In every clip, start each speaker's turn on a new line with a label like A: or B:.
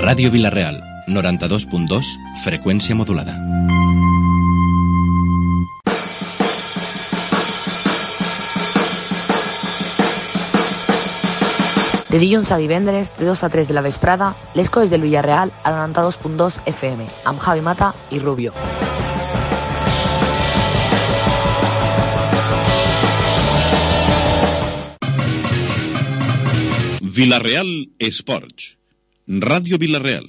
A: Ràdio Vila-real, 92.2, freqüència modulada.
B: De dilluns a divendres, de 2 a 3 de la vesprada, les coses del Villarreal a 92.2 FM, amb Javi Mata i Rubio.
C: Vila-real Esports. Ràdio Vila-real.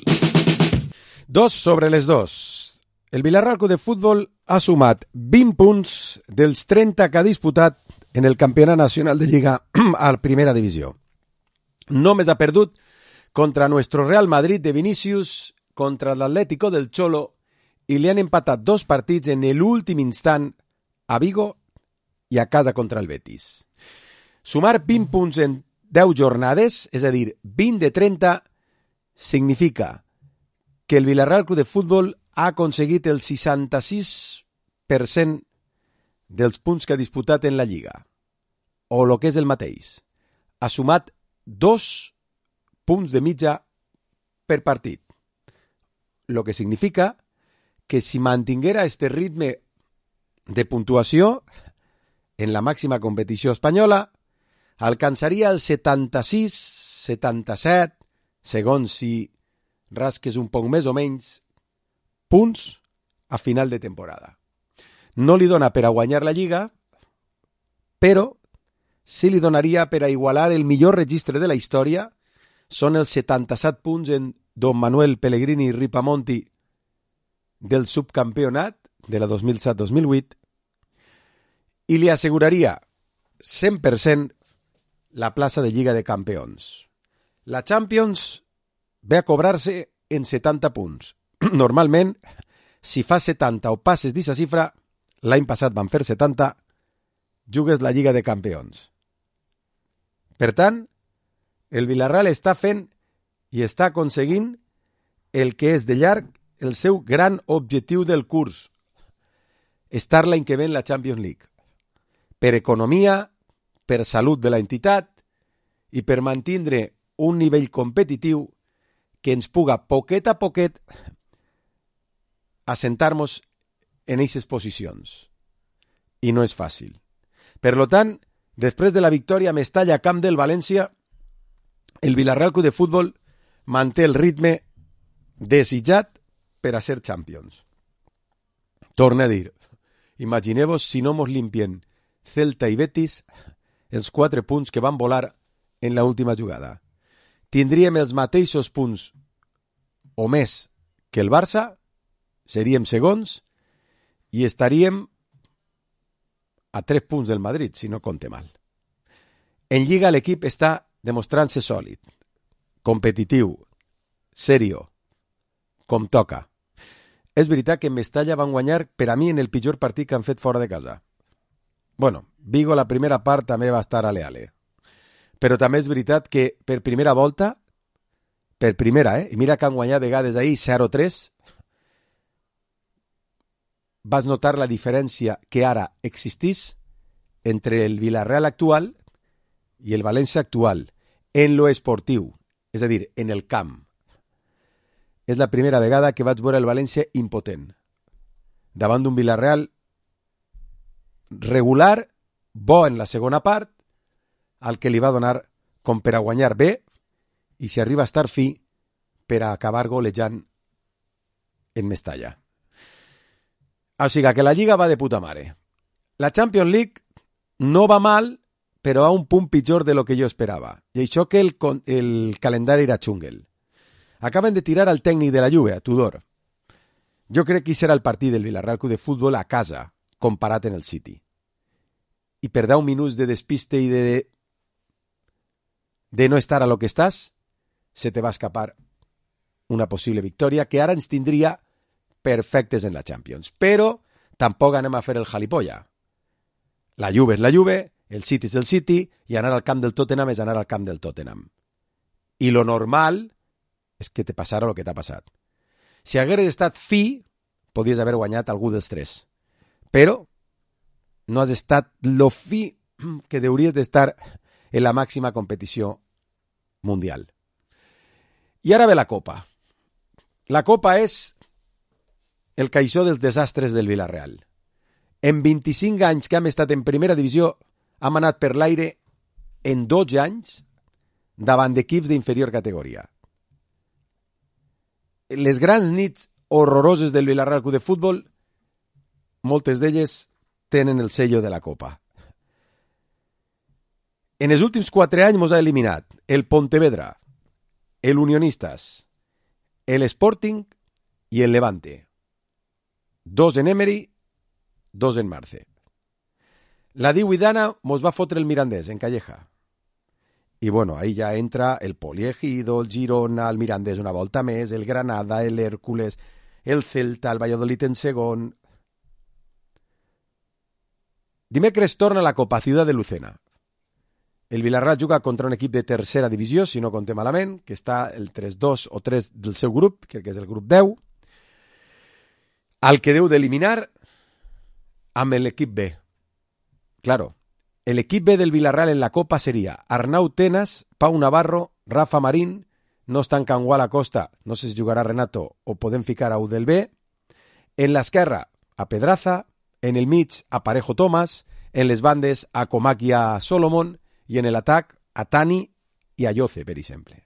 D: 2/2. El Villarreal Club de Futbol ha sumat 20 punts dels 30 que ha disputat en el Campionat Nacional de Lliga a la Primera Divisió. Només ha perdut contra nuestro Real Madrid de Vinicius, contra l'Atlético del Cholo, i li han empatat 2 partits en l'últim instant a Vigo i a casa contra el Betis. Sumar 20 punts en 10 jornades, és a dir, 20 de 30, significa que el Villarreal Club de Futbol ha aconseguit el 66% dels punts que ha disputat en la Lliga, o el que és el mateix. Ha sumat 2 punts de mitja per partit, lo que significa que si mantinguera este ritme de puntuació en la màxima competició espanyola, alcançaria el 76-77, segons si rasques un poc més o menys, punts a final de temporada. No li dona per a guanyar la Lliga, però sí li donaria per a igualar el millor registre de la història. Són els 77 punts en Don Manuel Pellegrini Ripamonti del subcampionat de la 2007-2008 i li asseguraria 100% la plaça de Lliga de Campions. La Champions ve a cobrar-se en 70 punts. Normalment, si fas 70 o passes d'aquesta xifra, l'any passat van fer 70, jugues la Lliga de Campions. Per tant, el Villarreal està fent i està aconseguint el que és de llarg el seu gran objectiu del curs, estar l'any que ve en la Champions League. Per economia, per salut de la entitat i per mantindre un nivell competitiu que ens puga poquet a poquet assentar-nos en aquestes posicions. I no és fàcil. Per tant, després de la victòria a Mestalla a camp del València, el Villarreal Club de Futbol manté el ritme desitjat per a ser Champions. Torna a dir, imagineu-vos si no mos limpien Celta i Betis els 4 punts que van volar en l'última jugada. Tindríem els mateixos punts o més que el Barça, seríem segons i estaríem a 3 punts del Madrid, si no compte mal. En Lliga l'equip està demostrant-se sòlid, competitiu, serio, com toca. És veritat que en Mestalla van guanyar per a mi en el pitjor partit que han fet fora de casa. Bueno, Vigo la primera part també va estar ale-ale. Però també és veritat que per primera volta, per primera, i mira que han guanyat vegades ahir 0-3, vas notar la diferència que ara existís entre el Villarreal actual i el València actual, en lo esportiu, és a dir, en el camp. És la primera vegada que vaig veure el València impotent, davant d'un Villarreal regular, bo en la segona part, al que li va donar com per a guanyar bé, i si arriba a estar fi, per a acabar golejant en Mestalla. O sigui que la Lliga va de puta mare. La Champions League no va mal, però a un punt pitjor de lo que jo esperava. I això que el calendari era xungle. Acaben de tirar al tècnic de la Juve, a Tudor. Jo crec que serà el partit del Villarreal Club de Futbol a casa, comparat en el City. I per 10 minuts de despiste i de no estar a lo que estàs, se te va escapar una possible victòria que ara ens tindria perfectes en la Champions. Però tampoc anem a fer el jalipolla. La Juve és la Juve, el City és el City, i anar al camp del Tottenham és anar al camp del Tottenham. I lo normal és que te passara el que t'ha passat. Si hagués estat fi, podies haver guanyat algú dels 3. Però no has estat lo fi que hauries d'estar en la màxima competició mundial. I ara ve la Copa. La Copa és el caixó dels desastres del Villarreal. En 25 anys que hem estat en primera divisió, hem anat per l'aire en 12 anys davant d'equips d'inferior categoria. Les grans nits horroroses del Villarreal Club de Futbol, moltes d'elles tenen el sello de la Copa. En els últims 4 anys mos ha eliminat el Pontevedra, el Unionistas, el Sporting i el Levante. 2 en Emery, 2 en Marce. La Diuidana mos va fotre el Mirandés en Calleja. I bueno, ahí ja entra el Poliegido, el Girona, el Mirandés una volta més, el Granada, el Hércules, el Celta, el Valladolid en segon. Dimecres torna la Copa Ciudad de Lucena. El Villarreal juga contra un equip de tercera divisió, si no comptem malament, que està el 3-2 o 3 del seu grup, crec que és el grup 10, al que deu d'eliminar amb l'equip B. Claro, el equip B del Villarreal en la Copa seria Arnau Tenas, Pau Navarro, Rafa Marín, no està en Cangual Acosta, no sé si jugarà Renato o podem ficar a Udel B, en l'esquerra a Pedraza, en el mig a Parejo Tomás, en les bandes a Comac i a Solomon, i en l'atac a Tani i a Yoce, per exemple.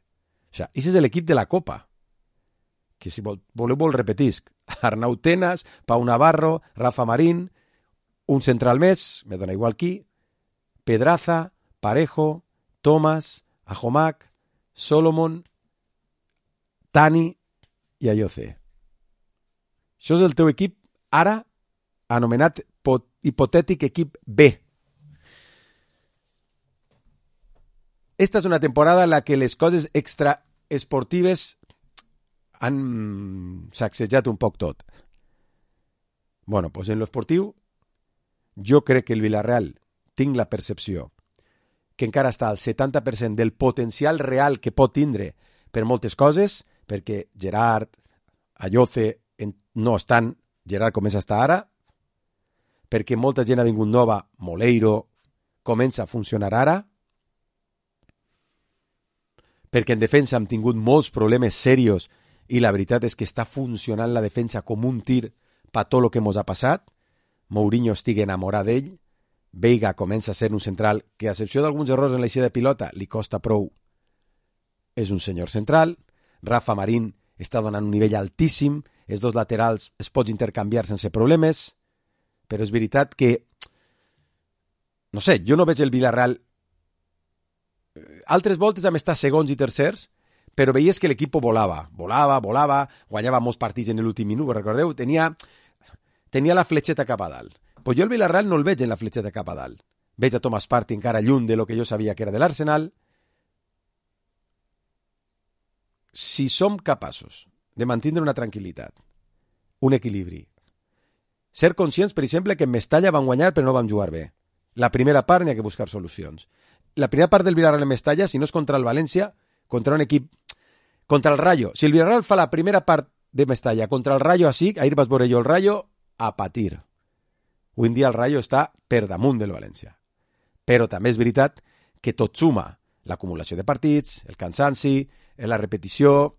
D: O sigui, aquest és l'equip de la Copa. Que si voleu repetisc. Arnau Tenas, Pau Navarro, Rafa Marín, un central més, me dona igual qui, Pedraza, Parejo, Tomás, Ajomac, Solomon, Tani i a Yoce. Això és el teu equip ara anomenat hipotètic equip B. Esta és una temporada en la que les coses extraesportives han sacsejat un poc tot. Bueno, pues en lo esportiu, jo crec que el Villarreal, tinc la percepció, que encara està al 70% del potencial real que pot tindre per moltes coses, perquè Gerard, Ayoce no estan, Gerard comença a estar ara, perquè molta gent ha vingut nova, Moleiro comença a funcionar ara, perquè en defensa hem tingut molts problemes serios i la veritat és que està funcionant la defensa com un tir per tot el que ens ha passat. Mourinho estigui enamorat d'ell, Veiga comença a ser un central que, a excepció d'alguns errors en l'eixida de pilota, li costa prou. És un senyor central. Rafa Marín està donant un nivell altíssim, els dos laterals es pots intercanviar sense problemes, però és veritat que, no sé, jo no veig el Villarreal. Altres voltes vam estar segons i tercers, però veies que l'equip volava, guanyava molts partits en l'últim minut, recordeu? Tenia la fletxeta cap a dalt. Pues jo el Villarreal no el veig en la fletxeta cap a dalt. Veig a Thomas Partey encara lluny de lo que jo sabia que era de l'Arsenal. Si som capaços de mantenir una tranquil·litat, un equilibri, ser conscients, per exemple, que en Mestalla van guanyar però no van jugar bé. La primera part n'hi ha que buscar solucions. La primera part del Villarreal en Mestalla, si no és contra el València, contra un equip, contra el Rayo. Si el Villarreal fa la primera part de Mestalla contra el Rayo així, ahir vas veure jo el Rayo a patir. Avui en dia el Rayo està per damunt del València. Però també és veritat que tot suma. L'acumulació de partits, el cansanci, la repetició,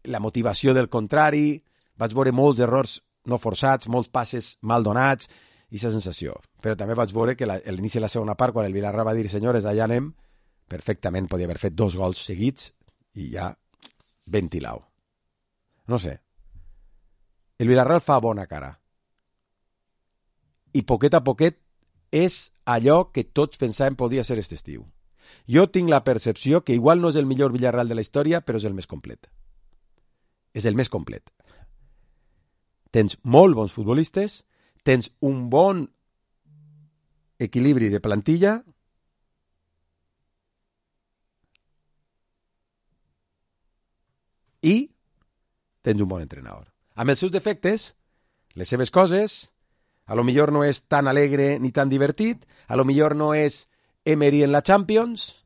D: la motivació del contrari. Vaig veure molts errors no forçats, molts passes mal donats, i aquesta sensació. Però també vaig veure que a l'inici de la segona part, quan el Villarreal va dir, senyores, allà anem, perfectament podia haver fet 2 gols seguits i ja ventilau. No sé. El Villarreal fa bona cara. I poquet a poquet és allò que tots pensàvem podia ser aquest estiu. Jo tinc la percepció que igual no és el millor Villarreal de la història, però és el més complet. És el més complet. Tens molt bons futbolistes, tens un bon equilibri de plantilla i tens un bon entrenador. Amb els seus defectes, les seves coses, a lo millor no és tan alegre ni tan divertit, a lo millor no és Emery en la Champions,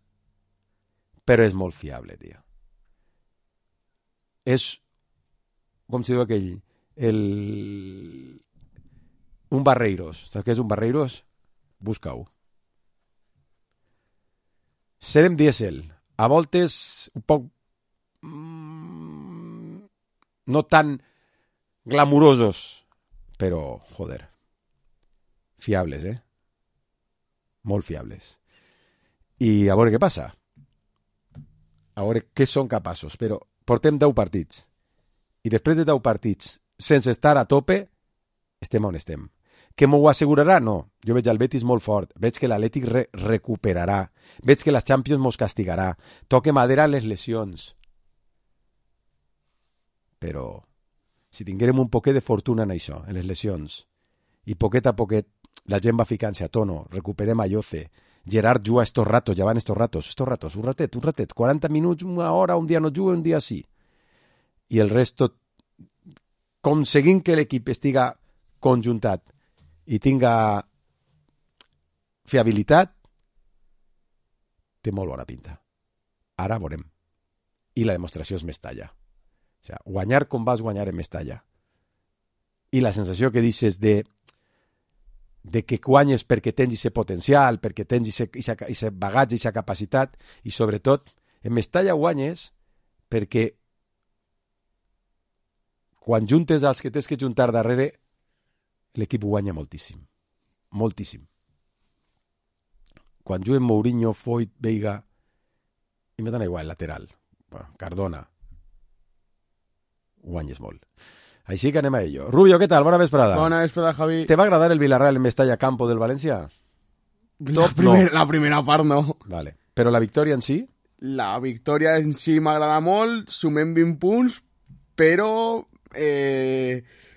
D: però és molt fiable, tio. És, com si diu aquell, un Barreiros. Saps què és un Barreiros? Busca-ho. Serem dièsel. A voltes un poc no tan glamurosos, però, joder, fiables, molt fiables. I a veure què passa. A veure què són capaços. Però portem 10 partits. I després de 10 partits, sense estar a tope, estem on estem. Que m'ho assegurarà? No. Jo veig el Betis molt fort. Veig que l'Atlètic recuperarà. Veig que la Champions mos castigarà. Toque madera les lesions. Però si tinguérem un poquet de fortuna en això, en les lesions, i poquet a poquet la gent va ficant-se a tono, recuperem a Lloce, Gerard juga estos ratos, ja van estos ratos, un ratet, 40 minuts, una hora, un dia no juga, un dia sí. I el resto, aconseguint que l'equip estiga conjuntat i tinga fiabilitat, té molt bona pinta. Ara veurem. I la demostració és Mestalla. O sigui, guanyar com vas guanyar en Mestalla. I la sensació que dices de que guanyes perquè tens aquest potencial, perquè tens aquest bagatge, aquesta capacitat, i sobretot, en Mestalla guanyes perquè quan juntes els que tens que juntar darrere, l'equip guanya moltíssim. Moltíssim. Quan juguen Mourinho, Foyt, Veiga, i me dona igual, lateral, Cardona, guanyes molt. Així que anem a ello. Rubio, què tal? Bona vesprada.
E: Bona vesprada, Javi.
D: ¿Te va a agradar el Villarreal en Mestalla Campo del Valencia?
E: La primera part no.
D: Vale. Però la victòria en si?
E: La victòria en si m'agrada molt, sumem 20 punts, però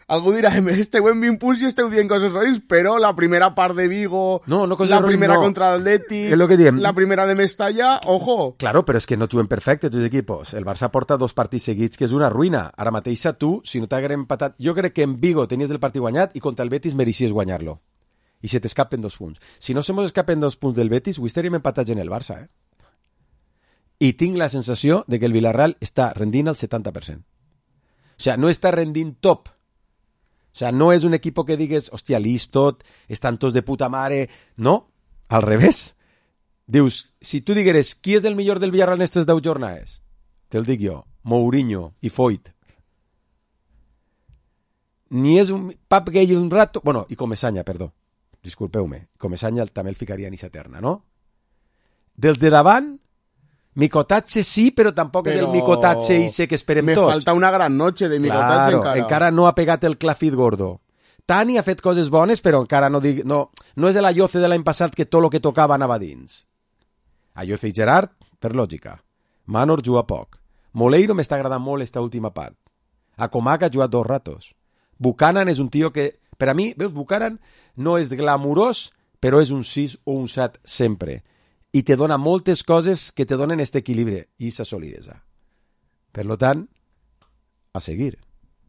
E: algú dirà, esteu en 20 punts i esteu dient coses rares, però la primera part de Vigo, la primera contra l'Atlètic, la primera de Mestalla, ojo.
D: Claro, però és que no juguen perfecte tots els equipos. El Barça porta 2 partits seguits, que és una ruïna. Ara mateix tu, si no t'hagués empatat... Jo crec que en Vigo tenies el partit guanyat i contra el Betis mereixies guanyar-lo. I se t'escapen 2 punts. Si no se mos escapen 2 punts del Betis, avui estaríem empatats en el Barça, I tinc la sensació de que el Villarreal està rendint al 70%. O sea, no està rendint top. O sea, no és un equip que digues, hòstia, listot, estan tots de puta mare. No, al revés. Dius, si tu digueres qui és el millor del Villarreal en aquestes 10 jornades, te'l dic jo, Mourinho i Foyt. Ni és un Pap Gay un rato... Bueno, i Comesaña, perdó. Disculpeu-me. Comesaña també el ficaria en esa terna, no? Dels de davant, Micotatge sí, però tampoc és el Micotatge i sé que esperem tots.
E: Me falta una gran noche de Micotatge
D: encara no ha pegat el clafit gordo. Tani ha fet coses bones, però encara no és el Ayoce de l'any passat que tot el que tocava anava dins. Ayoce i Gerard, per lògica. Manor juga poc. Moleiro m'està agradant molt esta última part. Acomac ha jugat 2 ratos. Buchanan és un tio que, per a mi, veus, Buchanan no és glamurós, però és un 6 o un 7 sempre. I te dona moltes coses que te donen este equilibri i aquesta solidesa. Per lo tant, a seguir.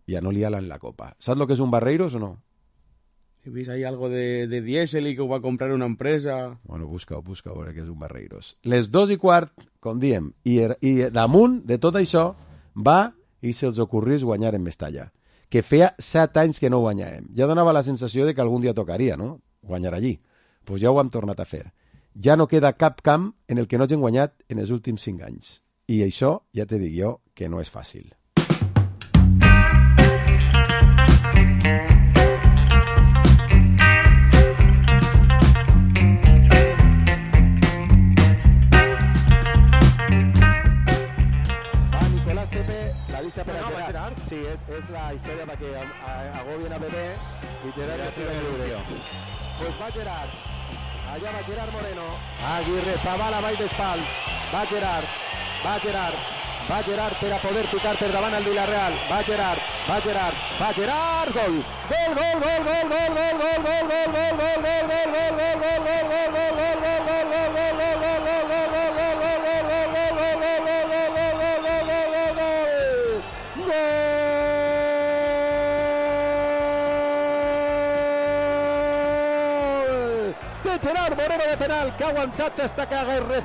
D: Ja no liala en la copa. Saps lo que és un Barreiros o no?
E: He vist ahí algo de diésel i que ho va comprar una empresa.
D: Bueno, busca a veure què és un Barreiros. Les 2:15, com diem, i damunt de tot això va i se'ls ocorrís guanyar en Mestalla. Que feia 7 anys que no guanyàvem. Ja donava la sensació de que algun dia tocaria, no? Guanyar allí. Pues ja ho hem tornat a fer. Ja no queda cap camp en el que no hagin guanyat en els últims 5 anys. I això ja te dic jo que no és fàcil. Va, Nicolás Pepe, la dice per a Gerard. Sí, és la història perquè agobien a Pepe i Gerard estiga lliure. Pues va Gerard. Allà va Gerard Moreno. Aguirre, Zabala, baix d'espals. Va Gerard per a poder ficar per davant al Villarreal. Va Gerard. Gol! Gerard Moreno de penal, que ha aguantat hasta que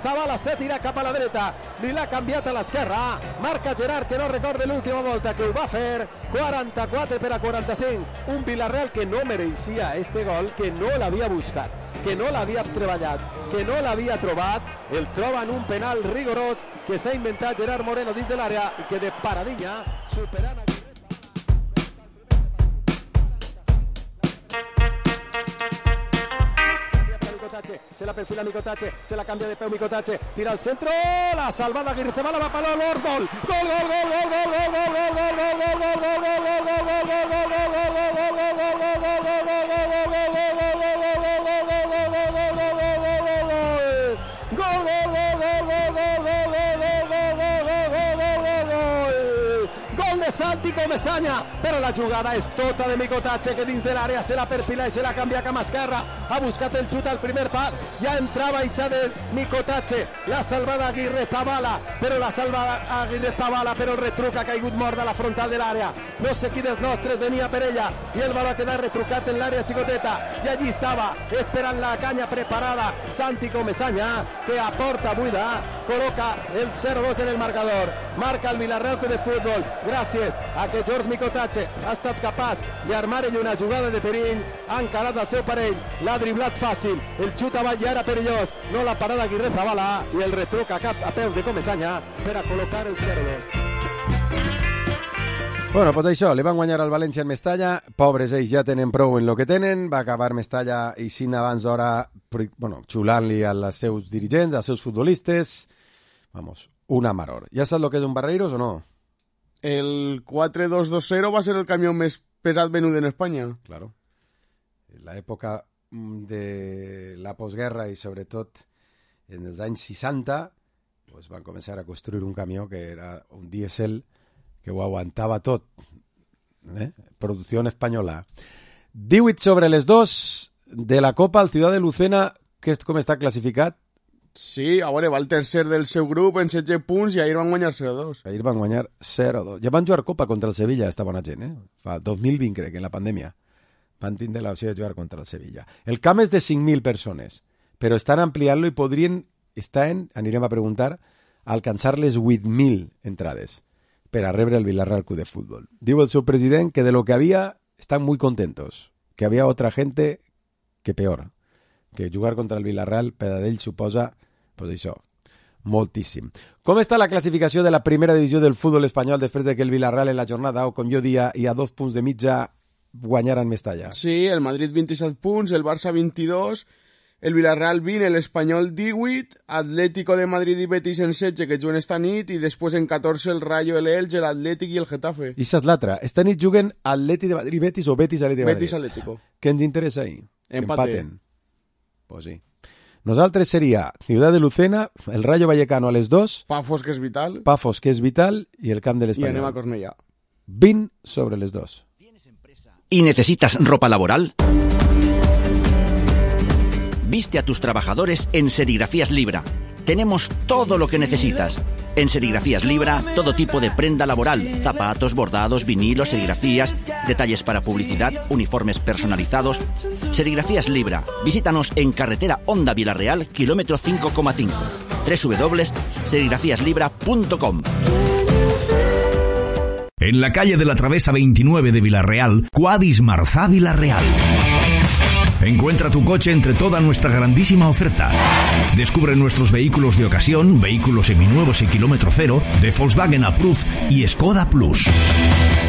D: Zabala se tira cap a la dreta, li l'ha canviat a l'esquerra, marca Gerard que no recorda l'última volta, que ho va fer 44-45, un Villarreal que no mereixia este gol, que no l'havia buscat, que no l'havia treballat, que no l'havia trobat, el troba en un penal rigorós que s'ha inventat Gerard Moreno dins de l'àrea i que de paradilla superant a... Micotache, se la perfila Micotache, se la cambia de peu Micotache, tira al centro, la salvada Aguirre Zabala, va para Lord, gol. De Santi Comesaña, però la jugada és tota de Micotache, que dins de l'àrea se la perfila i se la canvia a Camascarra, ha buscat el xut al primer pal, ja entrava ixa de Micotache, la salvada Aguirre Zabala, però el retruc ha caigut mort a la frontal de l'àrea, no sé qui dels nostres venia per ella, i el baló ha quedat retrucat en l'àrea xicoteta, i allí estava, esperant la canya preparada, Santi Comesaña, que a porta buida col·loca el 0-2 en el marcador, marca el Villarreal Club de Futbol, gràcies a que George Micotache ha estat capaç d'armar ell una jugada de perill, ha encarat el seu parell, l'ha driblat fàcil, el xut avall ja era perillós, no la parada Aguirre Zabala i el retruc a peus de Comesaña per a col·locar el 0-2. Bueno, pues això, li van guanyar al València en Mestalla, pobres ells ja tenen prou en lo que tenen, va acabar Mestalla i sin abans d'hora, xulant-li als seus dirigents, als seus futbolistes, vamos, una maror. Ja saps lo que és un Barreiros o no?
E: El 4-2-2-0 va ser el camió més pesat venut en Espanya.
D: Claro. En l'època de la postguerra i sobretot en els anys 60 pues van començar a construir un camió que era un diésel que ho aguantava tot. Producció espanyola. 18 sobre les 2 de la Copa al Ciudad de Lucena, que és com està classificat?
E: Sí, a veure, va el tercer del seu grup en 16 punts i ahir van guanyar 0-2.
D: Ahir van guanyar 0-2. Ja van jugar Copa contra el Sevilla, esta bona gent, Fa 2020, crec, en la pandèmia. Van tindre l'opció de jugar contra el Sevilla. El camp és de 5.000 persones, però estan ampliant-lo i podrien anirem a preguntar, alcançar les 8.000 entrades per a rebre el Villarreal Club de Futbol. Diu el seu president que de lo que había están muy contentos, que había otra gente que peor, que jugar contra el Villarreal per a ell suposa pues això, moltíssim. Com està la classificació de la primera divisió del futbol espanyol després de que el Villarreal en la jornada, o com jo dia, i a 2 punts de mitja guanyaran Mestalla?
E: Sí, el Madrid 27 punts, el Barça 22, el Villarreal 20, l'Espanyol 18, Atlético de Madrid i Betis en 16, que juguen esta nit, i després en 14 el Rayo, el Elche, l'Atlètic i el Getafe.
D: I això és l'altra. Esta nit juguen Atlètic de Madrid Betis o Betis Atlètic de Madrid?
E: Betis Atlético.
D: Què ens interessa ahí?
E: Empaten.
D: Pues sí. Nosaltres seria Ciudad de Lucena, el Rayo Vallecano a les 2,
E: Pafos, que és vital,
D: i el camp de l'Espanyol.
E: I anem a Cornellà.
D: 20 sobre les 2.
F: ¿Y necesitas ropa laboral? Viste a tus trabajadores en Serigrafías Libra. Tenemos todo lo que necesitas. En Serigrafías Libra, todo tipo de prenda laboral, zapatos, bordados, vinilos, serigrafías, detalles para publicidad, uniformes personalizados. Serigrafías Libra. Visítanos en carretera Honda Villarreal, kilómetro 5,5. www.serigrafíaslibra.com.
G: En la calle de la Travesa 29 de Villarreal, Quadis Marzá Villarreal. Encuentra tu coche entre toda nuestra grandísima oferta. Descubre nuestros vehículos de ocasión, vehículos seminuevos y kilómetro cero, de Volkswagen Approved y Skoda Plus.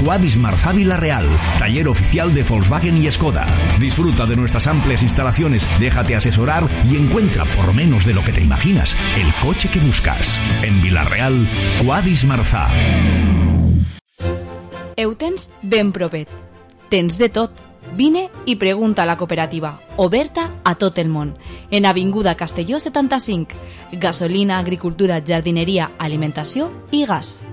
G: Quadis Marzá Villarreal, taller oficial de Volkswagen y Skoda. Disfruta de nuestras amplias instalaciones, déjate asesorar y encuentra por menos de lo que te imaginas el coche que buscas. En Villarreal, Quadis Marzá.
H: Eutens ben propet. Tens de tot. Vine i pregunta a la cooperativa, oberta a tot el món. En Avinguda Castelló 75. Gasolina, agricultura, jardinería, alimentació y gas.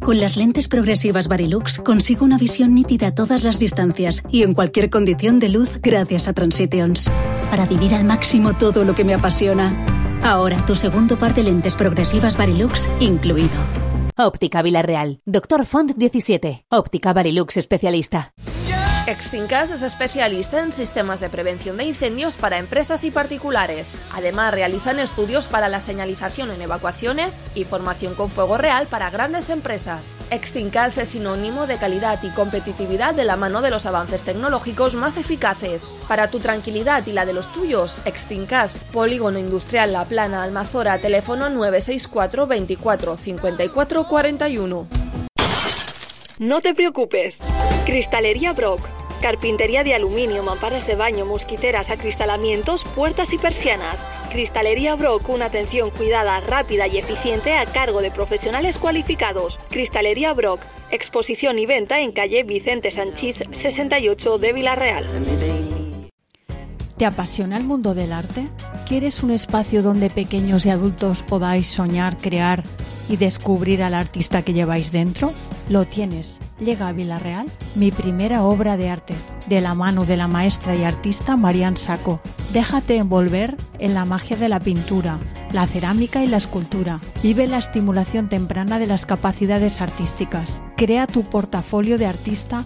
I: Con las lentes progresivas Varilux consigo una visión nítida a todas las distancias y en cualquier condición de luz gracias a Transitions. Para vivir al máximo todo lo que me apasiona. Ahora tu segundo par de lentes progresivas Varilux incluido.
J: Óptica Villarreal. Doctor Font 17. Óptica Varilux especialista.
K: Extincas es especialista en sistemas de prevención de incendios para empresas y particulares. Además, realizan estudios para la señalización en evacuaciones y formación con fuego real para grandes empresas. Extincas es sinónimo de calidad y competitividad de la mano de los avances tecnológicos más eficaces. Para tu tranquilidad y la de los tuyos, Extincas, Polígono Industrial La Plana, Almazora, teléfono 964 24 54 41.
L: No te preocupes. Cristalería Brock.
K: Carpintería de aluminio, mamparas de baño, mosquiteras, acristalamientos, puertas y persianas. Cristalería Brock, una atención cuidada, rápida y eficiente a cargo de profesionales cualificados. Cristalería Brock, exposición y venta en calle Vicente Sanchís 68 de Villarreal.
L: ¿Te apasiona el mundo del arte? ¿Quieres un espacio donde pequeños y adultos podáis soñar, crear y descubrir al artista que lleváis dentro? Lo tienes. Llega a Villarreal mi primera obra de arte, de la mano de la maestra y artista Marian Sacco. Déjate envolver en la magia de la pintura, la cerámica y la escultura. Vive la estimulación temprana de las capacidades artísticas. Crea tu portafolio de artista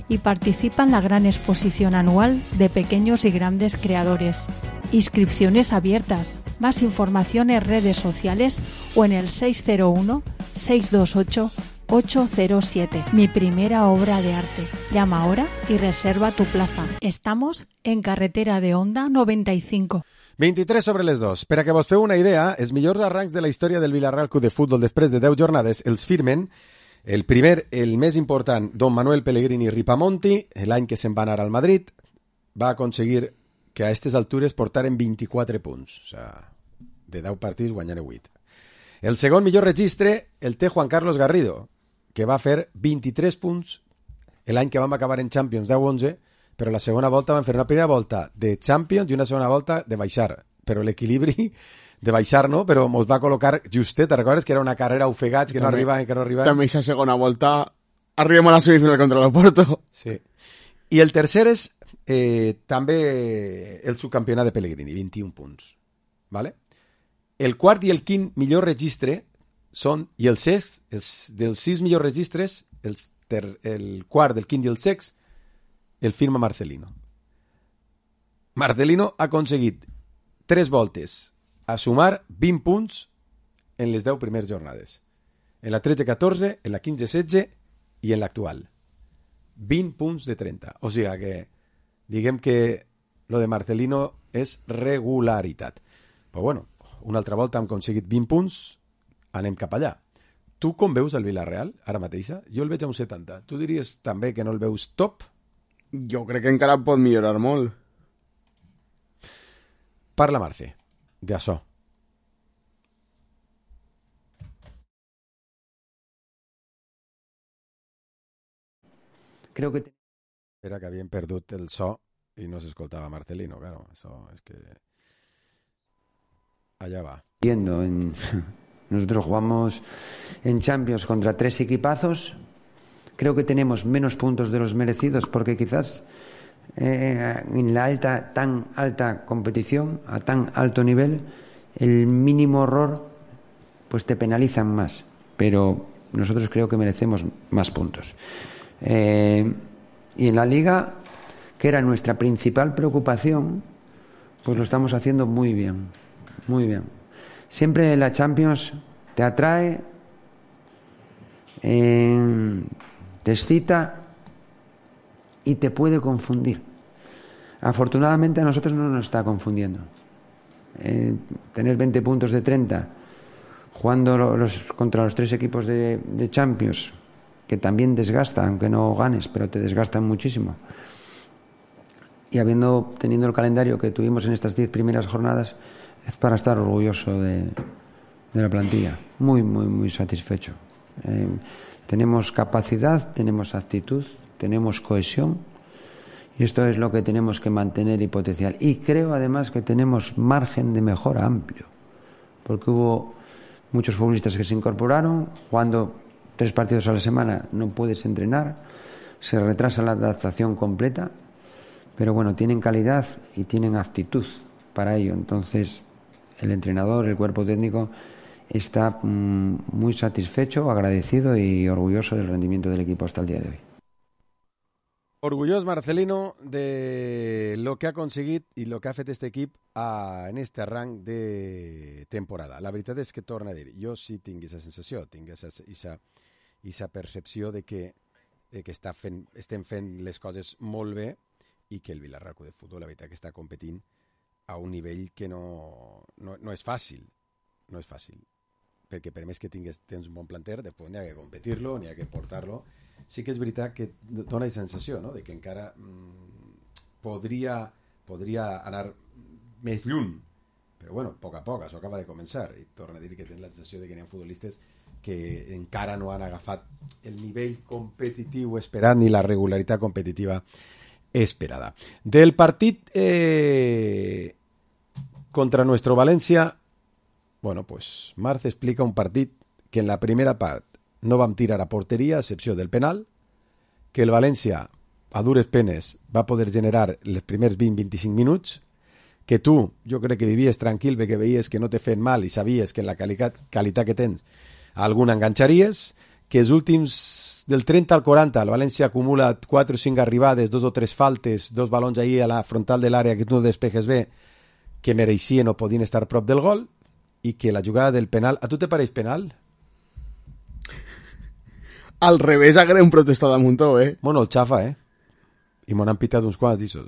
L: y participa en la gran exposición anual de pequeños y grandes creadores. Inscripciones abiertas. Más información en redes sociales o en el 601-628-807. Mi primera obra de arte. Llama ahora y reserva tu plaza. Estamos en carretera de Onda 95.
D: 23 sobre les 2. Per a que vos feu una idea, els millors arrancs de la història del Villarreal Club de Futbol després de 10 jornades els firmen el primer, el més important, Don Manuel Pellegrini Ripamonti, l'any que se'n va anar al Madrid, va aconseguir que a aquestes altures portaren 24 punts. O sigui, de 10 partits guanyaren 8. El segon millor registre el té Juan Carlos Garrido, que va fer 23 punts l'any que vam acabar en Champions 10-11, però la segona volta van fer una primera volta de Champions i una segona volta de baixar. Però l'equilibri de baixar, no? Però mos va col·locar justet, recordes que era una carrera ofegats, que no arribaven.
E: També aquesta segona volta arribem a la semifinal contra l'Oporto.
D: Sí. I el tercer és també el subcampionat de Pellegrini, 21 punts. ¿Vale? El quart i el quint millor registre són, i els dels 6 millors registres, el quart, el quint i el sext, el firma Marcelino. Marcelino ha aconseguit 3 voltes a sumar 20 punts en les 10 primeres jornades. En la 13-14, en la 15-16 i en l'actual. 20 punts de 30. O sigui que diguem que lo de Marcelino és regularitat. Però bueno, una altra volta hem aconseguit 20 punts, anem cap allà. Tu com veus el Villarreal ara mateixa? Jo el veig a un 70. Tu diries també que no el veus top?
E: Jo crec que encara pot millorar molt.
D: Parla, Marce, d'això.
M: Creo que...
D: Era que havien perdut el so i no s'escoltava Marcelino, claro. Eso es que... Allá va.
M: Nosotros jugamos en Champions contra 3 equipazos. Creo que tenemos menos puntos de los merecidos porque quizás en la tan alta competición, a tan alto nivel, el mínimo error pues te penalizan más. Pero nosotros creo que merecemos más puntos. Y en la Liga, que era nuestra principal preocupación, pues lo estamos haciendo muy bien. Muy bien. Siempre la Champions te atrae, te excita y te puede confundir. Afortunadamente a nosotros no nos está confundiendo. Tener 20 puntos de 30 jugando contra los 3 equipos de Champions, que también desgasta, aunque no ganes, pero te desgastan muchísimo. Y teniendo el calendario que tuvimos en estas 10 primeras jornadas, es para estar orgulloso de la plantilla. Muy, muy, muy satisfecho. Tenemos capacidad, tenemos actitud, tenemos cohesión y esto es lo que tenemos que mantener y potenciar. Y creo además que tenemos margen de mejora amplio, porque hubo muchos futbolistas que se incorporaron, jugando 3 partidos a la semana no puedes entrenar, se retrasa la adaptación completa, pero bueno, tienen calidad y tienen actitud para ello. Entonces el entrenador, el cuerpo técnico está muy satisfecho, agradecido y orgulloso del rendimiento del equipo hasta el día de hoy.
D: Orgullós Marcelino de lo que ha aconseguit i lo que ha fet este equip en este arranc de temporada. La veritat és que, torna a dir, jo sí tinc aquesta sensació, tinc aquesta percepció de que estem fent les coses molt bé i que el Villarreal Club de Futbol, la veritat, que està competint a un nivell que no és fàcil. No és fàcil. Perquè per més que tens un bon planter, després n'hi ha que competir-lo, n'hi ha que portar-lo. sí que és veritat que dona la sensació, no?, de que encara podria anar més lluny, però bueno, a poc, això acaba de començar, i torna a dir que tens la sensació de que hi ha futbolistes que encara no han agafat el nivell competitiu esperat ni la regularitat competitiva esperada. Del partit contra nuestro Valencia, bueno, pues Marce explica un partit que en la primera part no vam tirar a porteria, a excepció del penal, que el València, a dures penes, va poder generar els primers 20-25 minuts, que tu, jo crec que vivies tranquil perquè veies que no te feien mal i sabies que en la qualitat que tens alguna enganxaries, que els últims del 30 al 40 el València acumula 4 o 5 arribades, 2 o 3 faltes, 2 balons ahí a la frontal de l'àrea que tu no despejes bé, que mereixien o podien estar prop del gol, i que la jugada del penal... A tu te pareix penal?
E: Al revés, haguem protestat a Montó,
D: Bueno, el xafa, I m'ho han pitat uns quants d'issos,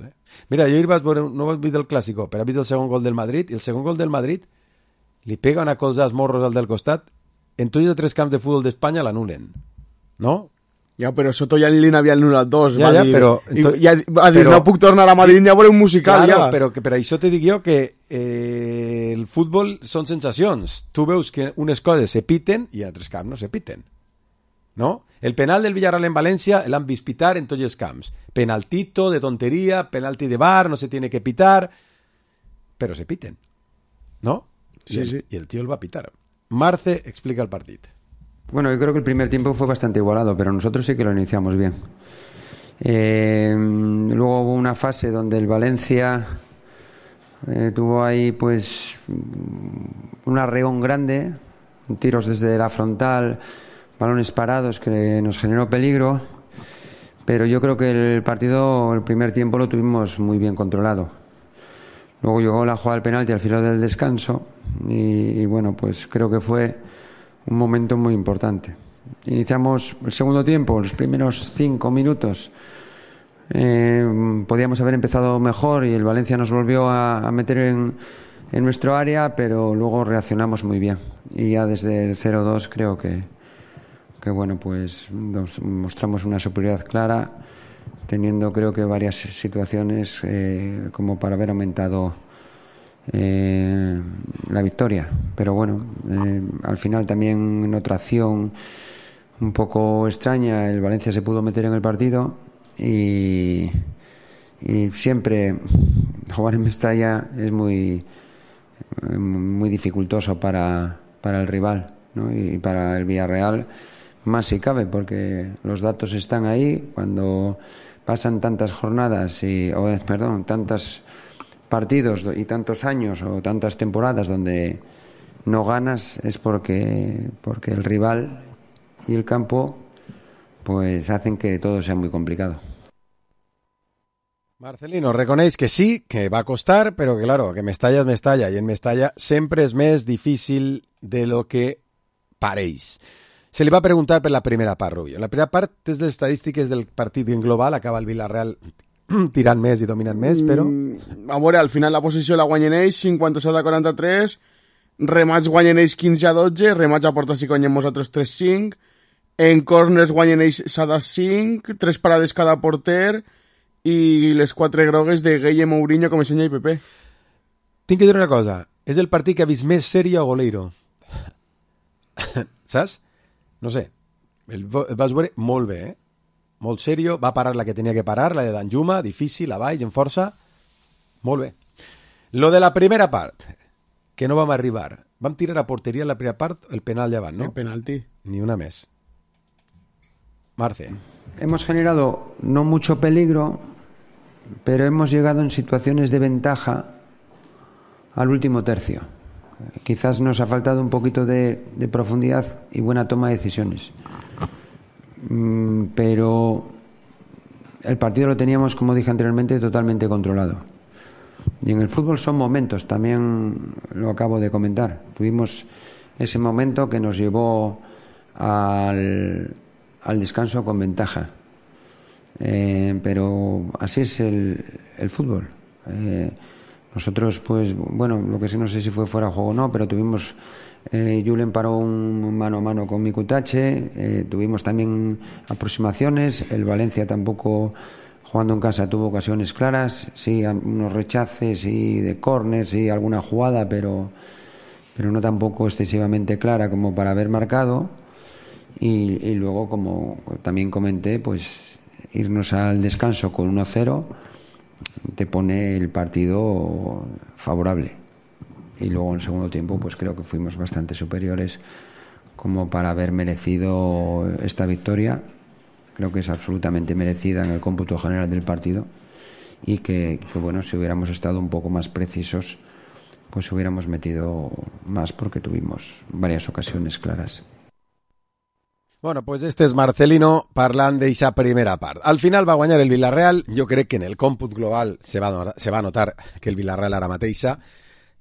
D: Mira, jo vaig veure, no vaig veure el Clàssico, però he vist el segon gol del Madrid, i el segon gol del Madrid li pega una cosa als morros al del costat, en tots els 3 camps de futbol d'Espanya l'anulen, no?
E: Ja, però Soto ja li n'havia anul·lat 2,
D: ja,
E: va dir,
D: però,
E: va dir, no puc tornar a Madrid, ja veuré un musical,
D: claro,
E: ja.
D: Però que per això te dic jo que el futbol són sensacions. Tu veus que unes coses se piten i altres camps no se piten, no? El penal del Villarreal en València l'han vist pitar en tots els camps. Penaltito de tonteria, penalti de bar, no se tiene que pitar, però se piten, ¿no?
E: Sí, sí.
D: Y el tío el va a pitar. Marce explica el partido.
M: Bueno, yo creo que el primer tiempo fue bastante igualado, pero nosotros sí que lo iniciamos bien. Luego hubo una fase donde el Valencia tuvo ahí pues un arreón grande, tiros desde la frontal, balones parados que nos generó peligro, pero yo creo que el partido, el primer tiempo lo tuvimos muy bien controlado. Luego llegó la jugada del penalti al filo del descanso y bueno, pues creo que fue un momento muy importante. Iniciamos el segundo tiempo, los primeros 5 minutos podíamos haber empezado mejor y el Valencia nos volvió a meter en nuestro área, pero luego reaccionamos muy bien y ya desde el 0-2 creo que bueno, pues nos mostramos una superioridad clara, teniendo creo que varias situaciones como para haber aumentado la victoria, pero bueno, al final también en otra acción un poco extraña el Valencia se pudo meter en el partido y siempre jugar en Mestalla es muy dificultoso para el rival, ¿no? Y para el Villarreal más si cabe, porque los datos están ahí. Cuando pasan tantas jornadas tantos partidos y tantos años o tantas temporadas donde no ganas, es porque el rival y el campo pues hacen que todo sea muy complicado.
D: Marcelino, reconeix que sí, que va costar, però que claro, que Mestalla és Mestalla, i en Mestalla sempre és més difícil de lo que pareix. Se li va preguntar per la primera part, Rubio. La primera part és les estadístiques del partit en global, acaba el Villarreal tirant més i dominant més, però...
E: A veure, al final la posició la guanyen ells, 57-43, remats guanyen ells 15-12, remats a porta si guanyem nosaltres 3-5, en corners guanyen ells 7-5, 3 parades cada porter, i les 4 grogues de Gueye, Mourinho, Comesaña i Pepe.
D: Tinc que dir una cosa, és el partit que ha vist més sèrie o goleiro. Saps? No sé, el vas veure molt bé, molt serio, va parar la que tenia que parar, la de Danjuma, difícil, a baix, en força, molt bé. Lo de la primera part, que no vam arribar, vam tirar a porteria en la primera part, el penal llevant, ¿no?
E: El penalti.
D: Ni una més. Marce.
M: Hemos generado no mucho peligro, pero hemos llegado en situaciones de ventaja al último tercio. Quizás nos ha faltado un poquito de profundidad y buena toma de decisiones. Pero el partido lo teníamos, como dije anteriormente, totalmente controlado. Y en el fútbol son momentos, también lo acabo de comentar. Tuvimos ese momento que nos llevó al descanso con ventaja. Pero así es el fútbol. Nosotros, pues, bueno, lo que sí no sé si fue fuera de juego o no, pero tuvimos... Julen paró un mano a mano con Mikutache, tuvimos también aproximaciones, el Valencia tampoco, jugando en casa, tuvo ocasiones claras, sí, unos rechaces y de córner, sí, alguna jugada, pero no tampoco excesivamente clara como para haber marcado. Y luego, como también comenté, pues irnos al descanso con 1-0 te pone el partido favorable. Y luego en el segundo tiempo pues creo que fuimos bastante superiores como para haber merecido esta victoria. Creo que es absolutamente merecida en el cómputo general del partido y que bueno, si hubiéramos estado un poco más precisos pues hubiéramos metido más porque tuvimos varias ocasiones claras.
D: Bueno, pues este és Marcelino parlant d'eixa primera part. Al final va guanyar el Villarreal. Jo crec que en el còmput global se va notar que el Villarreal ara mateixa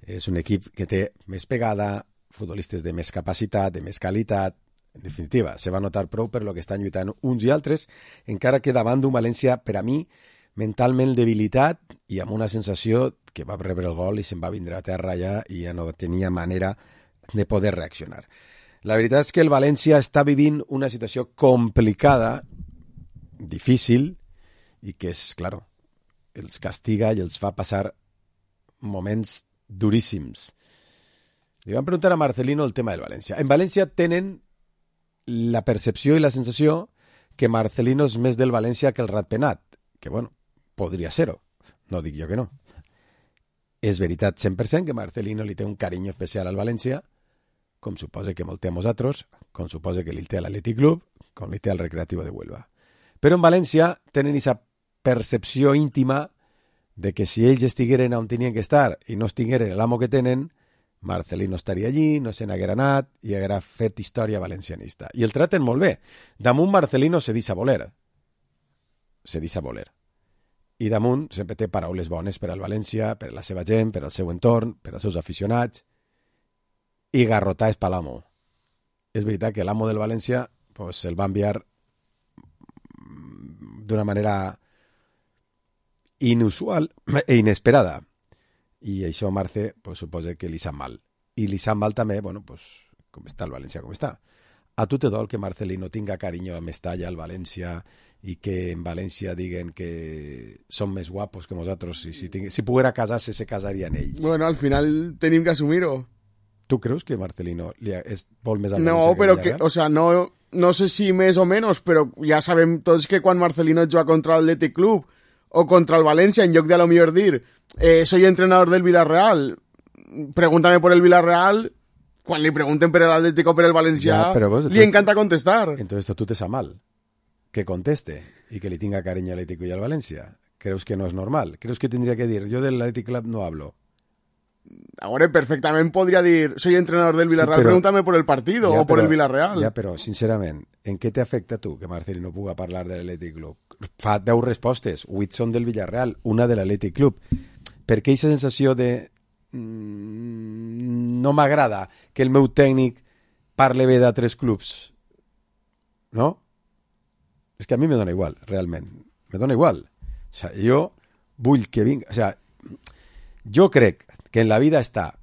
D: és un equip que té més pegada, futbolistes de més capacitat, de més qualitat. En definitiva, se va notar prou per lo que estan lluitant uns i altres, encara que davant d'un València, per a mi, mentalment debilitat i amb una sensació que va rebre el gol i se'n va vindre a terra ja i ja no tenia manera de poder reaccionar. La veritat és que el València està vivint una situació complicada, difícil, i que és, claro, els castiga i els fa passar moments duríssims. Li van preguntar a Marcelino el tema del València. En València tenen la percepció i la sensació que Marcelino és més del València que el Ratpenat, que, bueno, podria ser-ho. No dic jo que no. És veritat 100% que Marcelino li té un carinyo especial al València, com suposa que molt té a nosaltres, com suposa que li té a l'Atlètic Club, com li té al Recreativo de Huelva. Però en València tenen aquesta percepció íntima de que si ells estigueren on tenien que estar i no estigueren l'amo que tenen, Marcelino estaria allí, no se n'haguera anat i haguera fet història valencianista. I el traten molt bé. Damunt Marcelino se deixa voler. Se deixa voler. I damunt sempre té paraules bones per al València, per a la seva gent, per al seu entorn, per als seus aficionats. I garrotar és per l'amo. És veritat que l'amo del València pues, el va enviar d'una manera inusual e inesperada. I això a Marce pues, suposa que li sap mal. I li sap mal també, bueno, pues, com està el València, com està. A tu te dol que Marcelino tinga carinyo a Mestalla, al València, i que en València diguen que són més guapos que nosaltres. Si poguera casar-se, se casarien ells.
E: Bueno, al final tenim que assumir-ho.
D: ¿Tú crees que Marcelino vol més al València?
E: No, però que, o sea, no sé si més o menys, però ja sabem tots que quan Marcelino juga contra l'Atlètic Club o contra el València, en lloc de a lo millor dir soy entrenador del Villarreal, pregúntame por el Villarreal, quan li pregunten per l'Atlético o per el Valencià, li encanta contestar.
D: Entonces tú te sa mal que conteste y que le tenga cariño al Atlético y al Valencia. ¿Crees que no es normal? ¿Crees que tendría que decir yo del Athletic Club no hablo?
E: Ahora perfectament podria dir soy entrenador del Villarreal, sí, pregúntame por el partido o por el Villarreal.
D: Ja, però, sincerament, en què t'afecta tu que Marcelino puga parlar de l'Atlètic Club? Fa 10 respostes, 8 són del Villarreal, una de l'Atlètic Club. Per què aquesta sensació de no m'agrada que el meu tècnic parle bé d'altres clubs? No? És que a mi me dona igual, realment. Me dona igual. O sigui, jo vull que vingui... O sigui, jo crec que en la vida està,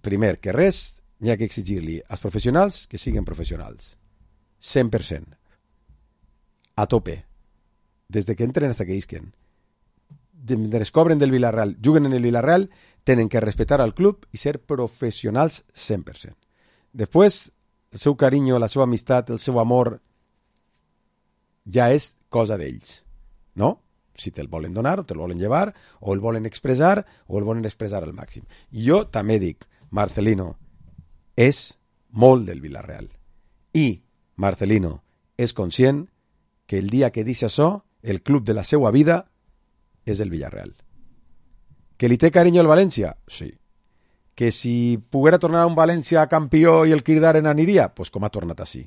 D: primer que res, n'hi ha que exigir-li als professionals que siguin professionals. 100%. A tope. Des de que entren fins que isquen. Descobren del Villarreal, juguen en el Villarreal, tenen que respetar al club i ser professionals 100%. Després, el seu carinyo, la seva amistat, el seu amor, ja és cosa d'ells. No? Si te'l volen donar, o te'l volen llevar, o el volen expressar, o el volen expressar al màxim. Jo també dic, Marcelino és molt del Villarreal. I Marcelino és conscient que el dia que deixa això, el club de la seva vida és el Villarreal. Que li té carinyo al València? Sí. Que si poguera tornar a un València campió i el Kirdaren aniria? Pues com ha tornat així.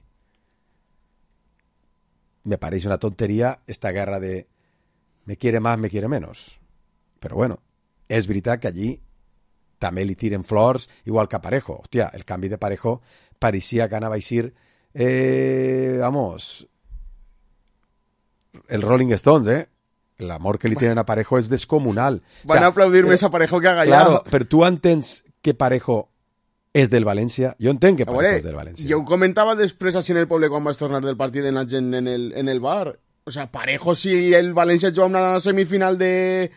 D: Me pareix una tonteria esta guerra de me quiere más, me quiere menos. Però bueno, és veritat que allí també li tiren flors, igual que a Parejo. Hòstia, el canvi de Parejo pareixia que anava a eixir vamos, el Rolling Stones, l'amor que li tenen a Parejo és descomunal.
E: Van a aplaudir més a Parejo que a Gallà.
D: Claro, però tu entens que Parejo és del València? Jo entenc que Parejo és del València.
E: Jo ho comentava després així en el poble quan vas tornar del partit en la gent en el bar. O sea, Parejo, si el València juga una semifinal de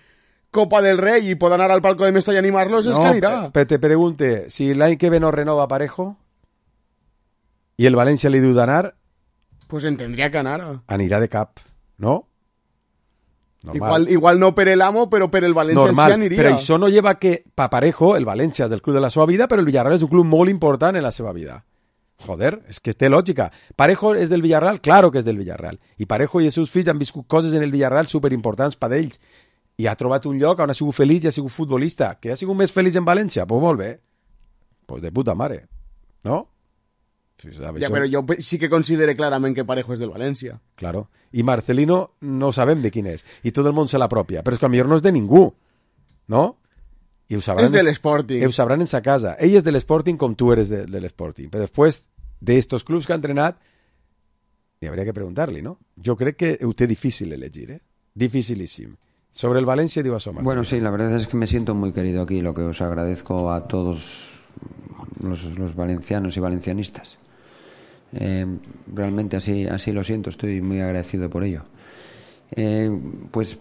E: Copa del Rei i pot anar al palco de Mestalla i animar-los, és que anirà.
D: Però te pregunte, si l'any que ve no renova Parejo i el València li diu d'anar,
E: pues entendria que anara.
D: Anirà de cap, no?
E: Igual no per el amo, però per el València sí aniria.
D: Però això no lleva que pa Parejo, el València és del club de la seva vida, però el Villarreal és un club molt important en la seva vida. Joder, és que té lògica. Parejo és del Villarreal? Claro que és del Villarreal. I Parejo i els seus fills han viscut coses en el Villarreal superimportants per ells. I ha trobat un lloc on ha sigut feliç i ha sigut futbolista. Que ha sigut més feliç en València? Pues molt bé. Pues de puta mare. No?
E: Ja, però jo sí que considero clarament que Parejo és del València.
D: Claro. I Marcelino no sabem de quin és. I tot el món se l'apropia. Però és que potser no és de ningú. No? I ho sabran,
E: és de l'Sporting.
D: Ho sabran en sa casa. Ell és de l'Sporting com tu eres de l'Sporting. Però després d'estos clubs que ha entrenat, hi hauria que preguntar-li, ¿no? Jo crec que ho té difícil elegir, ¿eh? Dificilísimo. Sobre el Valencia digo a Somar.
M: Bueno, sí, la verdad es que me siento muy querido aquí, lo que os agradezco a todos los valencianos y valencianistas. Realmente así lo siento, estoy muy agradecido por ello. Pues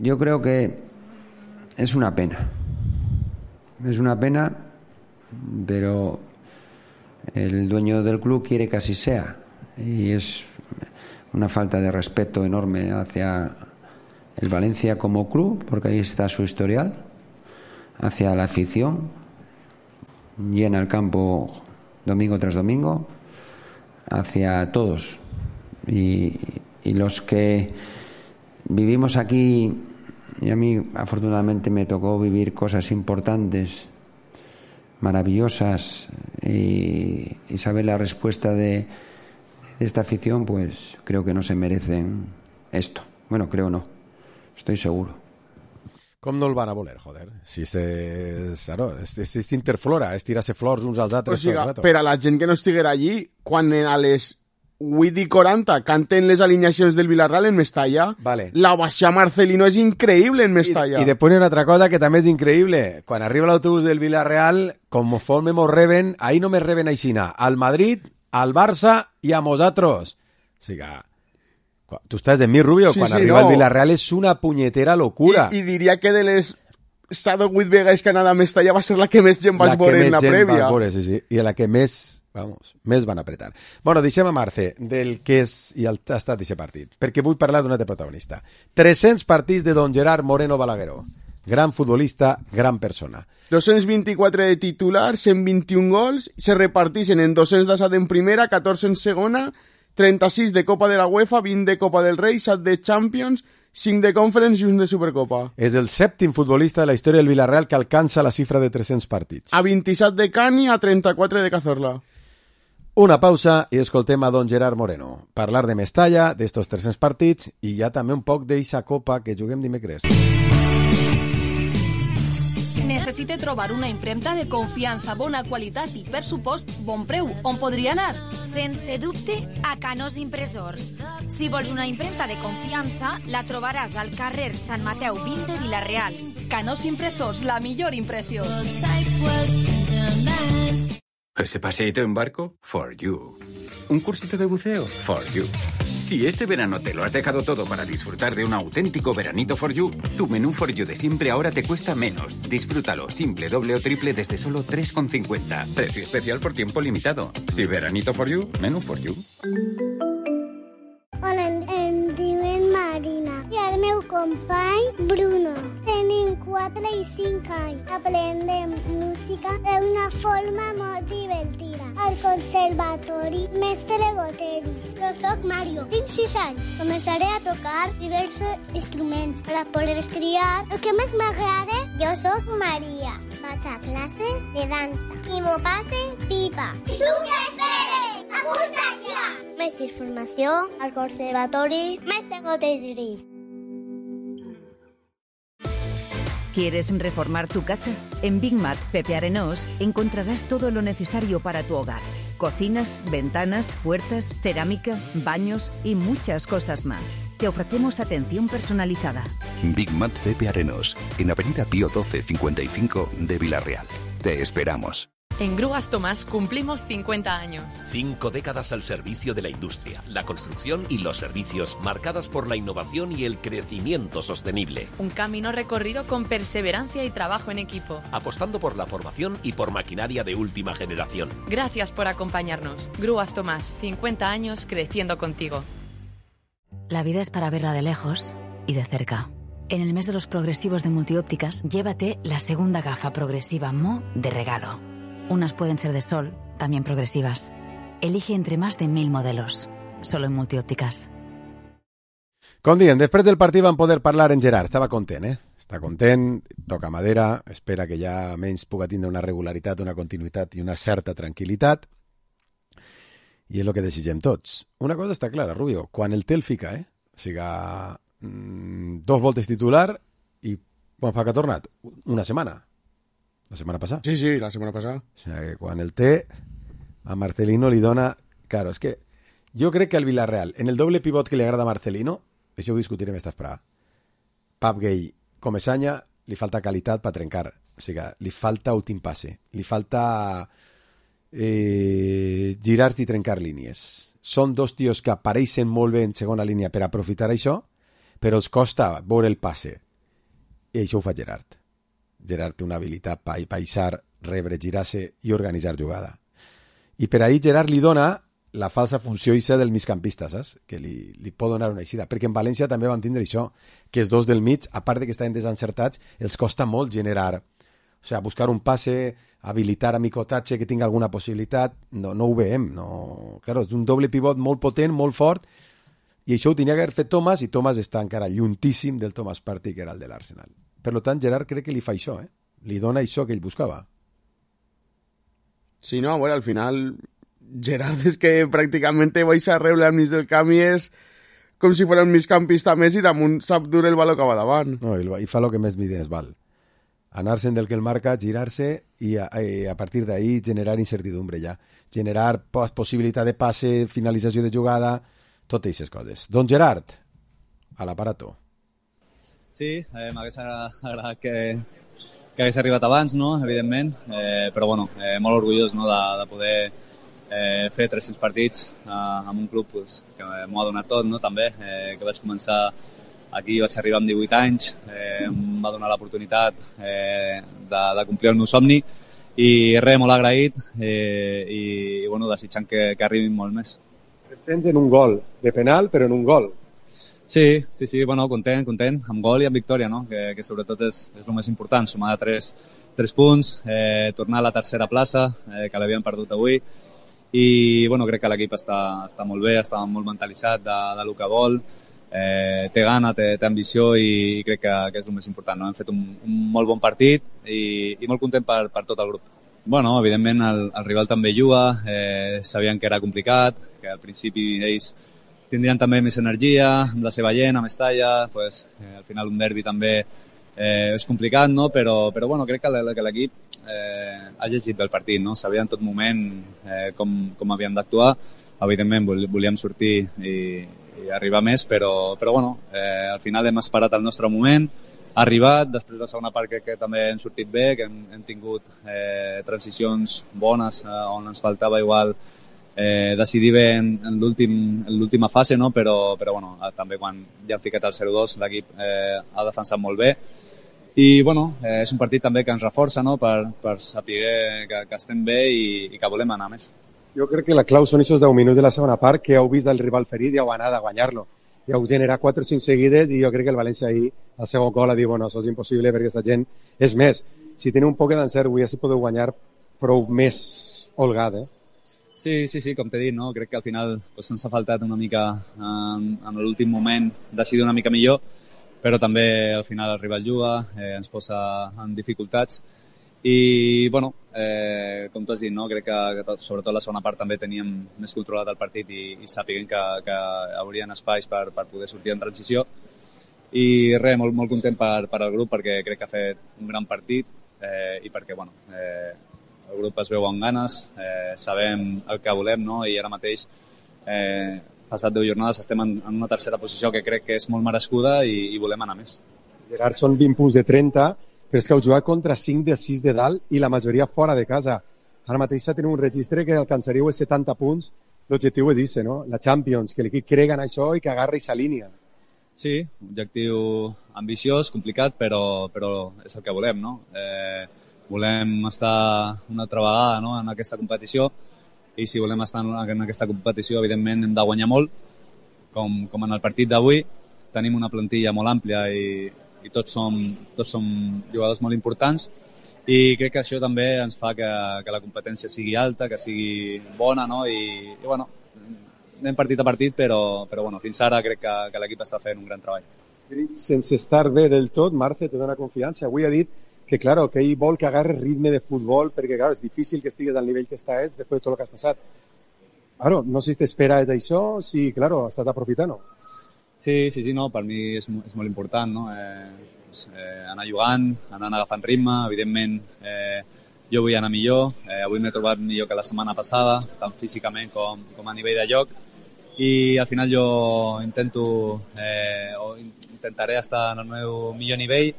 M: yo creo que es una pena, pero el dueño del club quiere que así sea y es una falta de respeto enorme hacia el Valencia como club, porque ahí está su historial, hacia la afición, llena el campo domingo tras domingo, hacia todos y los que vivimos aquí. Y a mí, afortunadamente, me tocó vivir cosas importantes, maravillosas, y saber la respuesta de esta afición, pues creo que no se merecen esto. Bueno, creo no, estoy seguro.
D: Com no el van a voler, joder? Si és interflora, és tirar-se flors uns als altres.
E: O sigui, per a la gent que no estiguera allí, quan a les 8:40 canten les alineacions del Villarreal en Mestalla,
D: vale.
E: La baixada Marcelino és increïble en Mestalla.
D: I després hi ha una altra cosa que també és increïble. Quan arriba l'autobús del Villarreal, conforme mos reben, ahí no me reben aixina, al Madrid, al Barça i a nosaltres. O sigui, tu estàs de mi, Rubio, quan arriba el Villarreal és una punyetera locura.
E: I diria que de les 7 o 8 vegades que ha anat a Mestalla va ser la que més gent vas veure en la prèvia.
D: Sí. I la que més van apretar. Bueno, deixem a Marce del que és i ha estat aquest partit, perquè vull parlar d'un altre protagonista. 300 partits de don Gerard Moreno Balagueró. Gran futbolista, gran persona.
E: 224 de titular, 121 gols, se reparteixen en 200 d'assat en primera, 14 en segona, 36 de Copa de la UEFA, 20 de Copa del Rei, 7 de Champions, 5 de Conference i 1 de Supercopa.
D: És el 7º futbolista de la història del Villarreal que alcança la xifra de 300 partits.
E: A 27 de Cani, a 34 de Cazorla.
D: Una pausa i escoltem a don Gerard Moreno. Parlar de Mestalla, d'estos 300 partits i ja també un poc d'eixa copa que juguem dimecres.
K: Necessite trobar una impremta de confiança, bona qualitat i, per supost, bon preu. On podria anar?
N: Sense dubte, a Canós Impressors. Si vols una impremta de confiança, la trobaràs al carrer Sant Mateu 20 de Vila-real.
K: Canós Impressors, la millor impressió.
O: ¿Ese paseíto en barco? For you. ¿Un cursito de buceo? For you. Si este verano te lo has dejado todo para disfrutar de un auténtico veranito For You, tu menú For You de siempre ahora te cuesta menos. Disfrútalo, simple, doble o triple desde solo 3,50. Precio especial por tiempo limitado. Si veranito For You, menú For You.
P: Hola, em diuen Marina i el meu company Bruno. Tenim 4 i 5 anys. Aprendem música d'una forma molt divertida. Al conservatori Mestre Goteris. Jo soc Mario, tinc 6 anys. Començaré a tocar diversos instruments per a poder triar el que més m'agrada. Jo soc Maria. Vaig a classes de dansa i m'ho passe pipa. I tu què esperes? Apunta't ja! Més informació al conservatori Mestre Goteris.
Q: ¿Quieres reformar tu casa? En Big Mat Pepe Arenós encontrarás todo lo necesario para tu hogar. Cocinas, ventanas, puertas, cerámica, baños y muchas cosas más. te ofrecemos atención personalizada.
R: Big Mat Pepe Arenos, en Avenida Pío 12 55 de Villarreal. Te esperamos.
S: En Grúas Tomás cumplimos 50 años.
T: 5 décadas al servicio de la industria, la construcción y los servicios, marcadas por la innovación y el crecimiento sostenible.
S: Un camino recorrido con perseverancia y trabajo en equipo.
T: Apostando por la formación y por maquinaria de última generación.
S: Gracias por acompañarnos. Grúas Tomás, 50 años creciendo contigo.
U: La vida es para verla de lejos y de cerca. En el mes de los progresivos de Multiópticas, llévate la segunda gafa progresiva Mo de regalo. Unas pueden ser de sol, también progresivas. Elige entre más de 1.000 modelos. Solo en Multiópticas.
D: Com dient, després del partit vam poder parlar en Gerard. Estava content, Està content, toca madera, espera que ja menys puga tindre una regularitat, una continuïtat i una certa tranquil·litat. I és el que desitgem tots. Una cosa està clara, Rubio, quan el té el fica, O sigui, 2 voltes titular i quan fa que ha tornat? Una setmana. La setmana passada.
E: Sí, la setmana passada.
D: O sigui, que quan el té, a Marcelino li dona... Claro, és que jo crec que al Villarreal, en el doble pivot que li agrada a Marcelino, això ho discutirem esta esperada. Pap Gay, com Esanya, li falta qualitat per trencar. O sigui, li falta últim passe. Li falta girar-se i trencar línies. Són 2 tios que apareixen molt bé en segona línia per aprofitar això, però els costa veure el passe. I això ho fa Gerard. Gerard té una habilitat per baixar, rebre, girar-se i organitzar jugada. I per ahir Gerard li dona la falsa funció ixa del migcampista, saps? Que li pot donar una eixida. Perquè en València també van tindre això, que els 2 del mig, a part de que estaven desencertats, els costa molt generar. O sigui, buscar un passe, habilitar a Micotatge que tingui alguna possibilitat, no ho veiem. No. Claro, és un doble pivot molt potent, molt fort, i això ho tenia que haver fet Thomas, i Thomas està encara lluntíssim del Thomas Partey, que era el de l'Arsenal. Per tant, Gerard crec que li fa això, Li dona això que ell buscava.
E: Sí, no, bueno, al final Gerard és que pràcticament baixa a rebre al mig del camp i és com si fos un migcampista més i damunt sap dur el baló que va davant.
D: No, i fa el que més mides val. Anar-se'n del que el marca, girar-se i a partir d'ahí generar incertidumbre ja. Generar possibilitat de passe, finalització de jugada, totes aquestes coses. Don Gerard, a l'aparato.
V: Sí, m'hagués agradat que hagués arribat abans, no? Evidentment, però bueno, molt orgullós, no? de poder fer 300 partits amb un club pues, que m'ho ha donat tot, no? També, que vaig començar aquí, vaig arribar amb 18 anys, em va donar l'oportunitat de complir el meu somni i res, molt agraït i bueno, desitjant que arribin molt més.
D: 300 en un gol, de penal, però en un gol.
V: Sí, bueno, content, amb gol i amb victòria, no? Que sobretot és el més important, sumar 3 punts, tornar a la tercera plaça, que l'havíem perdut avui, i bueno, crec que l'equip està molt bé, està molt mentalitzat del que vol, té gana, té ambició i crec que és el més important, no? Hem fet un molt bon partit i molt content per tot el grup. Bueno, evidentment el rival també juga, sabien que era complicat, que al principi ells tindrien també més energia, amb la seva gent, amb Mestalla, pues, al final un derbi també és complicat, no? Però bueno, crec que l'equip ha llegit bé el partit, no? Sabia en tot moment com havíem d'actuar, evidentment volíem sortir i arribar més, però bueno, al final hem esperat el nostre moment, ha arribat, després de la segona part crec que també hem sortit bé, que hem tingut transicions bones on ens faltava igual decidir bé en l'última fase, no? Però bueno, també quan ja hem ficat el 0-2 l'equip ha defensat molt bé i bueno, és un partit també que ens reforça, no? per saber que estem bé i que volem anar més.
D: Jo crec que la clau són aquests 10 minuts de la segona part que heu vist el rival ferit i heu anat a guanyar-lo. I heu generat 4 o 5 seguides i jo crec que el València ahir al segon gol ha dit, bueno, això és impossible perquè aquesta gent és més. Si teniu un poc d'encert avui ja si podeu guanyar prou més holgat,
V: Sí, com t'he dit, no? Crec que al final pues, ens ha faltat una mica en l'últim moment decidir una mica millor, però també al final el rival juga, ens posa en dificultats i, bueno, com tu has dit, no? Crec que sobretot la segona part també teníem més controlat el partit i sàpiguen que haurien espais per poder sortir en transició i res, molt content per al grup perquè crec que ha fet un gran partit i perquè, bueno, el grup es veu amb ganes, sabem el que volem, no? I ara mateix passat 10 jornades estem en una tercera posició que crec que és molt merescuda i volem anar més.
D: Gerard, són 20 punts de 30, però és que heu jugat contra 5 de 6 de dalt i la majoria fora de casa. Ara mateix teniu un registre que alcançaríeu els 70 punts. L'objectiu és ese, no? La Champions, que l'equip crega en això i que agarri i s'alinea.
V: Sí, objectiu ambiciós, complicat, però és el que volem, no? Volem estar una altra vegada, no?, en aquesta competició, i si volem estar en aquesta competició, evidentment hem de guanyar molt, com en el partit d'avui. Tenim una plantilla molt àmplia i tots som jugadors molt importants, i crec que això també ens fa que la competència sigui alta, que sigui bona, no? I bueno, anem partit a partit, però bueno, fins ara crec que l'equip està fent un gran treball.
D: Sense estar bé del tot, Marce te dona confiança. Avui ha dit que, claro, que ell vol que agarres ritme de futbol, perquè, claro, és difícil que estigues al nivell que estàs després de tot el que has passat. Claro, no sé si t'esperes d'això, si, claro, estàs aprofitant.
V: Sí, no, per mi és molt important, no? Anar jugant, anar agafant ritme, evidentment jo vull anar millor, avui m'he trobat millor que la setmana passada, tant físicament com a nivell de joc, i al final jo intentaré estar en el meu millor nivell,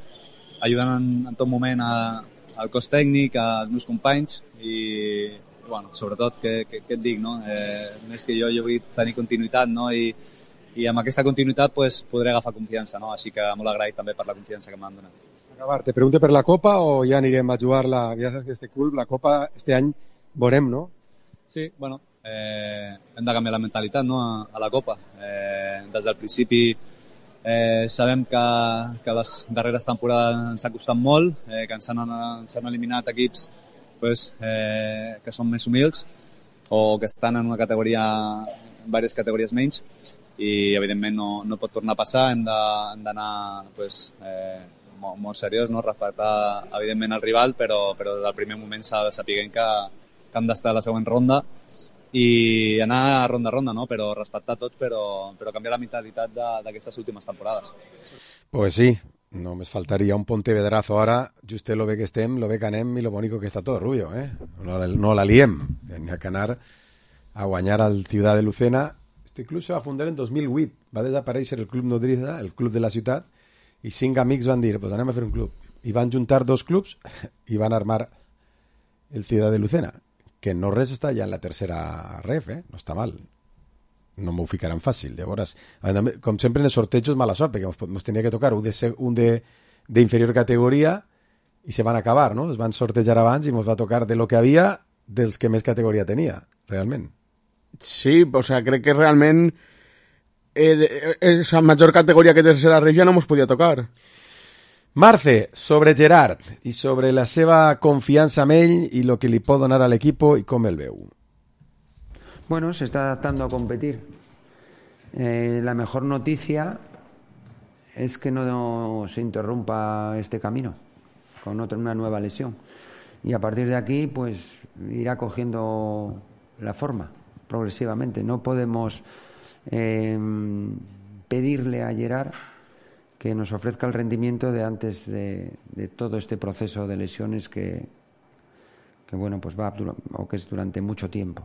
V: ajudant en tot moment al cos tècnic, als meus companys, i bueno, sobretot, què et dic, no? Més que jo vull tenir continuïtat, no? I amb aquesta continuïtat pues, podré agafar confiança, no? Així que molt agraït també per la confiança que m'han donat.
D: Acabar, te pregunto per la Copa o ja anirem a jugar-la? Ja saps que este club, la Copa, este any veurem, no?
V: Sí, bueno, hem de canviar la mentalitat, no?, a la Copa. Des del principi sabem que les darreres temporades ens ha costat molt, que ens han eliminat equips pues, que són més humils o que estan en una categoria, en diverses categories menys, i evidentment no pot tornar a passar, hem d'anar pues, molt seriós, no? Respectar evidentment el rival, però des del primer moment s'ha de saber que hem d'estar a la següent ronda i anar ronda a ronda, no? Però respectar tot, però canviar la mentalitat d'aquestes últimes temporades.
D: Pues sí, només faltaria un Pontevedrazo ara, just lo bé que estem, lo bé que anem i lo bonico que està tot, Rubio, no la liem, n'hi ha que anar a guanyar al Ciudad de Lucena. Este club se va fundar en 2008, va desaparèixer el Club Nodriza, el club de la ciutat, i 5 amics van dir, pues anem a fer un club. I van juntar 2 clubs i van armar el Ciudad de Lucena, que no res està ja en la tercera ref, no està mal. No m'ho ficaran fàcil. Llavors, com sempre en els sortejos, mala sort, perquè ens tenia que tocar un d'inferior categoria i se van acabar, no? Es van sortejar abans i ens va tocar de lo que havia dels que més categoria tenia, realment.
E: Sí, o sea, crec que realment esa major categoria que tercera ref ja no ens podia tocar.
D: Marce, sobre Gerard i sobre la seva confiança en ell i lo que li pot donar a l'equipo i com el veu.
M: Bueno, se está adaptando a competir. La mejor noticia es que no se interrumpa este camino con una nueva lesión. Y a partir de aquí, pues irá cogiendo la forma progresivamente. No podemos pedirle a Gerard que nos ofrezca el rendimiento de antes de todo este proceso de lesiones que bueno, pues va o que es durante mucho tiempo.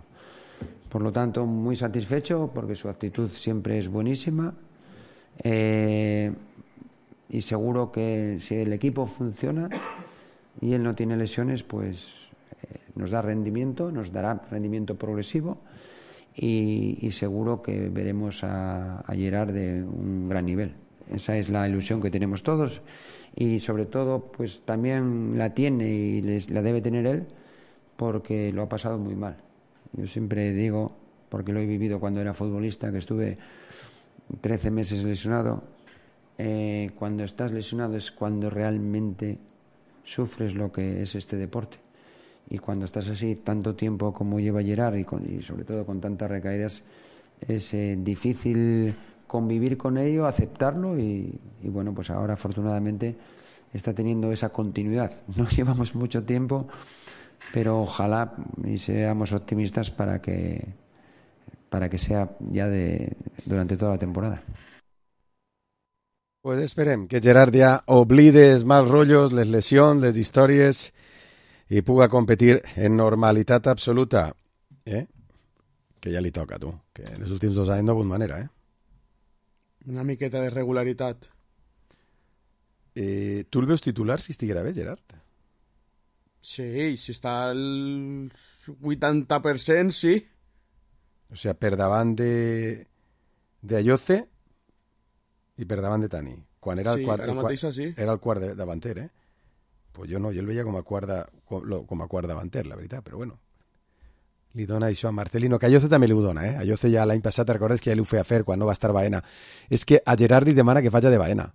M: Por lo tanto, muy satisfecho porque su actitud siempre es buenísima y seguro que si el equipo funciona y él no tiene lesiones, pues nos dará rendimiento progresivo y seguro que veremos a Gerard de un gran nivel. Esa es la ilusión que tenemos todos y sobre todo pues también la tiene y la debe tener él porque lo ha pasado muy mal. Yo siempre digo, porque lo he vivido cuando era futbolista, que estuve 13 meses lesionado. Cuando estás lesionado es cuando realmente sufres lo que es este deporte. Y cuando estás así tanto tiempo como lleva Gerard y sobre todo con tantas recaídas, es difícil convivir con ello, aceptarlo y bueno, pues ahora afortunadamente está teniendo esa continuidad. No llevamos mucho tiempo, pero ojalá y seamos optimistas para que sea ya durante toda la temporada.
D: Pues esperem que Gerard ja oblide els mals rotllos, les lesions, les històries i puga competir en normalitat absoluta. que ja li toca, tu. Que en els últims 2 anys no ha hagut manera,
E: Una miqueta de regularitat.
D: Tu el veus titular si estiguera bé, Gerard?
E: Sí, si està al 80%, sí.
D: O sigui, per davant d'Ayoce i per davant de Tani. Quan era el quart,
E: ara mateixa sí.
D: Era el quart davanter, Pues jo no, jo el veia com a quart davanter, la veritat, però bueno. Li dona això a Marcelino, que a Ayoce també li ho dona, A Ayoce ja l'any passat, recordes que ja li ho feia fer quan no va estar Baena. És que a Gerard li demana que faci de Baena.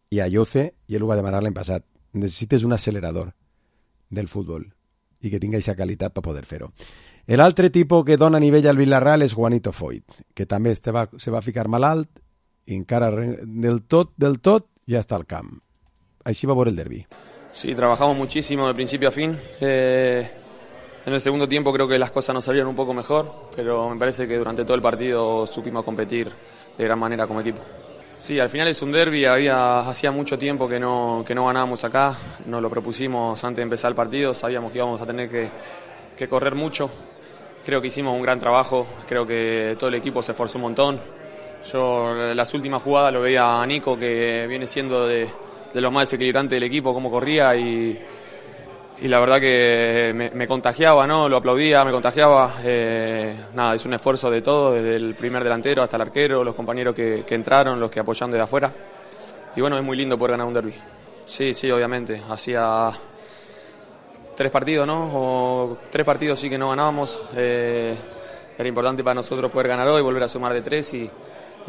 D: I a Ayoce, i ell ho va demanar l'any passat, necessites un accelerador del futbol i que tinga aquesta qualitat per poder fer-ho. L'altre tipus que dona nivell al Villarreal és Juanito Foyt, que també se va ficar malalt i encara del tot ja està al camp. Així va veure el derbi.
A: Sí, trabajamos muchísimo de principio a fin. En el segundo tiempo creo que las cosas nos salieron un poco mejor, pero me parece que durante todo el partido supimos competir de gran manera como equipo. Sí, al final es un derbi, hacía mucho tiempo que no ganábamos acá, nos lo propusimos antes de empezar el partido, sabíamos que íbamos a tener que correr mucho, creo que hicimos un gran trabajo, creo que todo el equipo se esforzó un montón. Yo en las últimas jugadas lo veía a Nico, que viene siendo de los más desequilibrantes del equipo, cómo corría y la verdad que me contagiaba, ¿no? Lo aplaudía, me contagiaba. Nada, es un esfuerzo de todo, desde el primer delantero hasta el arquero, los compañeros que entraron, los que apoyan desde afuera. Y bueno, es muy lindo poder ganar un derbi. Sí, obviamente. Hacía 3 partidos, ¿no? O 3 partidos sí que no ganábamos. Era importante para nosotros poder ganar hoy, volver a sumar de 3 y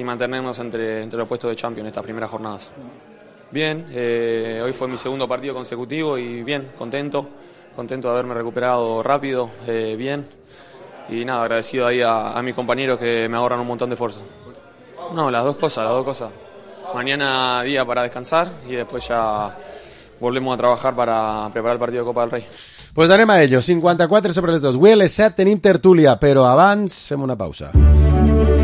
A: mantenernos entre los puestos de Champions estas primeras jornadas. Bien, hoy fue mi segundo partido consecutivo y bien, contento de haberme recuperado rápido, bien, y nada, agradecido ahí a mis compañeros que me ahorran un montón de esfuerzo. No, las dos cosas. Mañana día para descansar y después ya volvemos a trabajar para preparar el partido de Copa del Rey.
D: Pues anem a ello, 54 sobre les 2. Avui a les 7 tenim tertúlia, però abans fem una pausa.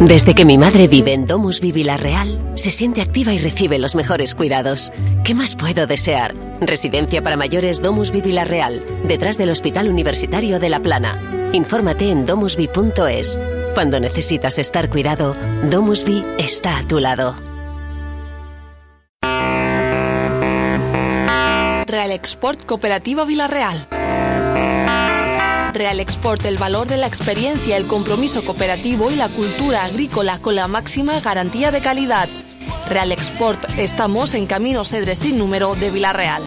B: Desde que mi madre vive en DomusVi Villarreal, se siente activa y recibe los mejores cuidados. ¿Qué más puedo desear? Residencia para mayores DomusVi Villarreal, detrás del Hospital Universitario de La Plana. Infórmate en domusvi.es. Cuando necesitas estar cuidado, DomusVi está a tu lado.
K: Real Export Cooperativa Villarreal. Real Export, el valor de la experiencia, el compromiso cooperativo y la cultura agrícola con la máxima garantía de calidad. Real Export, estamos en Camino Cedre sin número de Villarreal.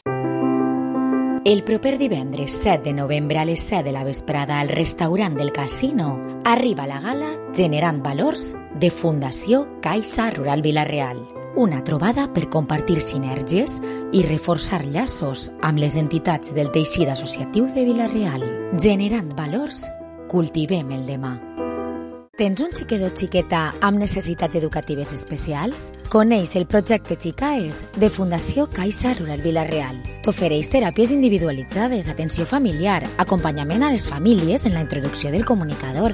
J: El proper divendres 7 de novembre a les 7 de la vesprada al restaurant del Casino arriba la gala Generant Valors de Fundació Caixa Rural Villarreal. Una trobada per compartir sinergies i reforçar llaços amb les entitats del teixit associatiu de Villarreal. Generant valors, cultivem el demà. Tens un xiquet o xiqueta amb necessitats educatives especials? Coneix el projecte Xicaes de Fundació Caixa Rural Villarreal. T'ofereix teràpies individualitzades, atenció familiar, acompanyament a les famílies en la introducció del comunicador,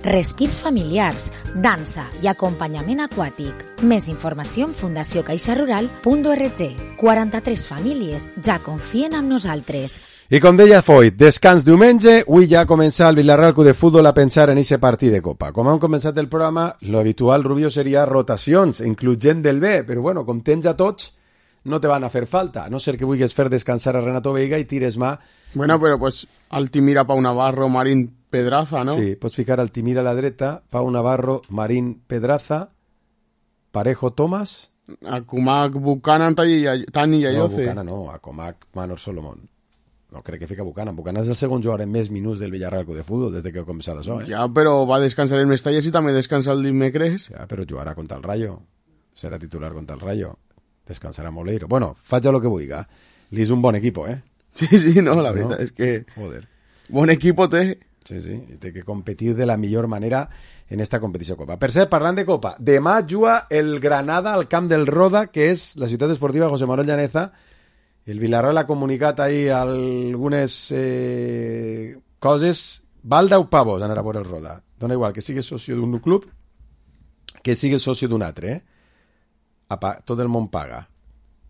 J: respirs familiars, dansa i acompanyament aquàtic. Més informació en fundaciocaixarural.org. 43 famílies ja confien en nosaltres.
D: I com deia Foyt, descans diumenge, avui ja comença el Villarreal Club de Futbol a pensar en aquest partit de Copa. Com hem començat el programa, lo habitual, Rubio, seria rotacions, incluyent del B, però bueno, com tens a tots, no te van a fer falta, a no ser que vulguis fer descansar a Renato Veiga i tires mà.
E: Bueno, però pues Altimira, Pau Navarro, Marín Pedraza, no?
D: Sí, pots ficar Altimira a la dreta, Pau Navarro, Marín Pedraza, Parejo Tomás...
E: Akumak, Buchanan, Tani i Ayoce.
D: No, Buchanan no, Akumak, Manor Solomon. No crec que fica Buchanan. Buchanan és el segon jugador en més minuts del Villarreal Club de Futbol des que ha començat això,
E: Ja, però va descansar el Mestalla i també descansa el dimecres.
D: Ja, però jugarà contra el Rayo. Serà titular contra el Rayo. Descansarà Moleiro. Bueno, faig el que vulgui. Li és un bon equip,
E: Sí, no, la veritat és que...
D: Joder.
E: Bon equip té.
D: Sí, i té que competir de la millor manera en esta competició Copa. Per cert, parlant de Copa, demà juga el Granada al camp del Roda, que és la ciutat esportiva José Manuel Llaneza. El Villarreal ha comunicat ahí algunes coses. Val 10 pavos anar a veure el Roda. Dona igual que sigues soci d'un club que sigues soci d'un altre. Tot el món paga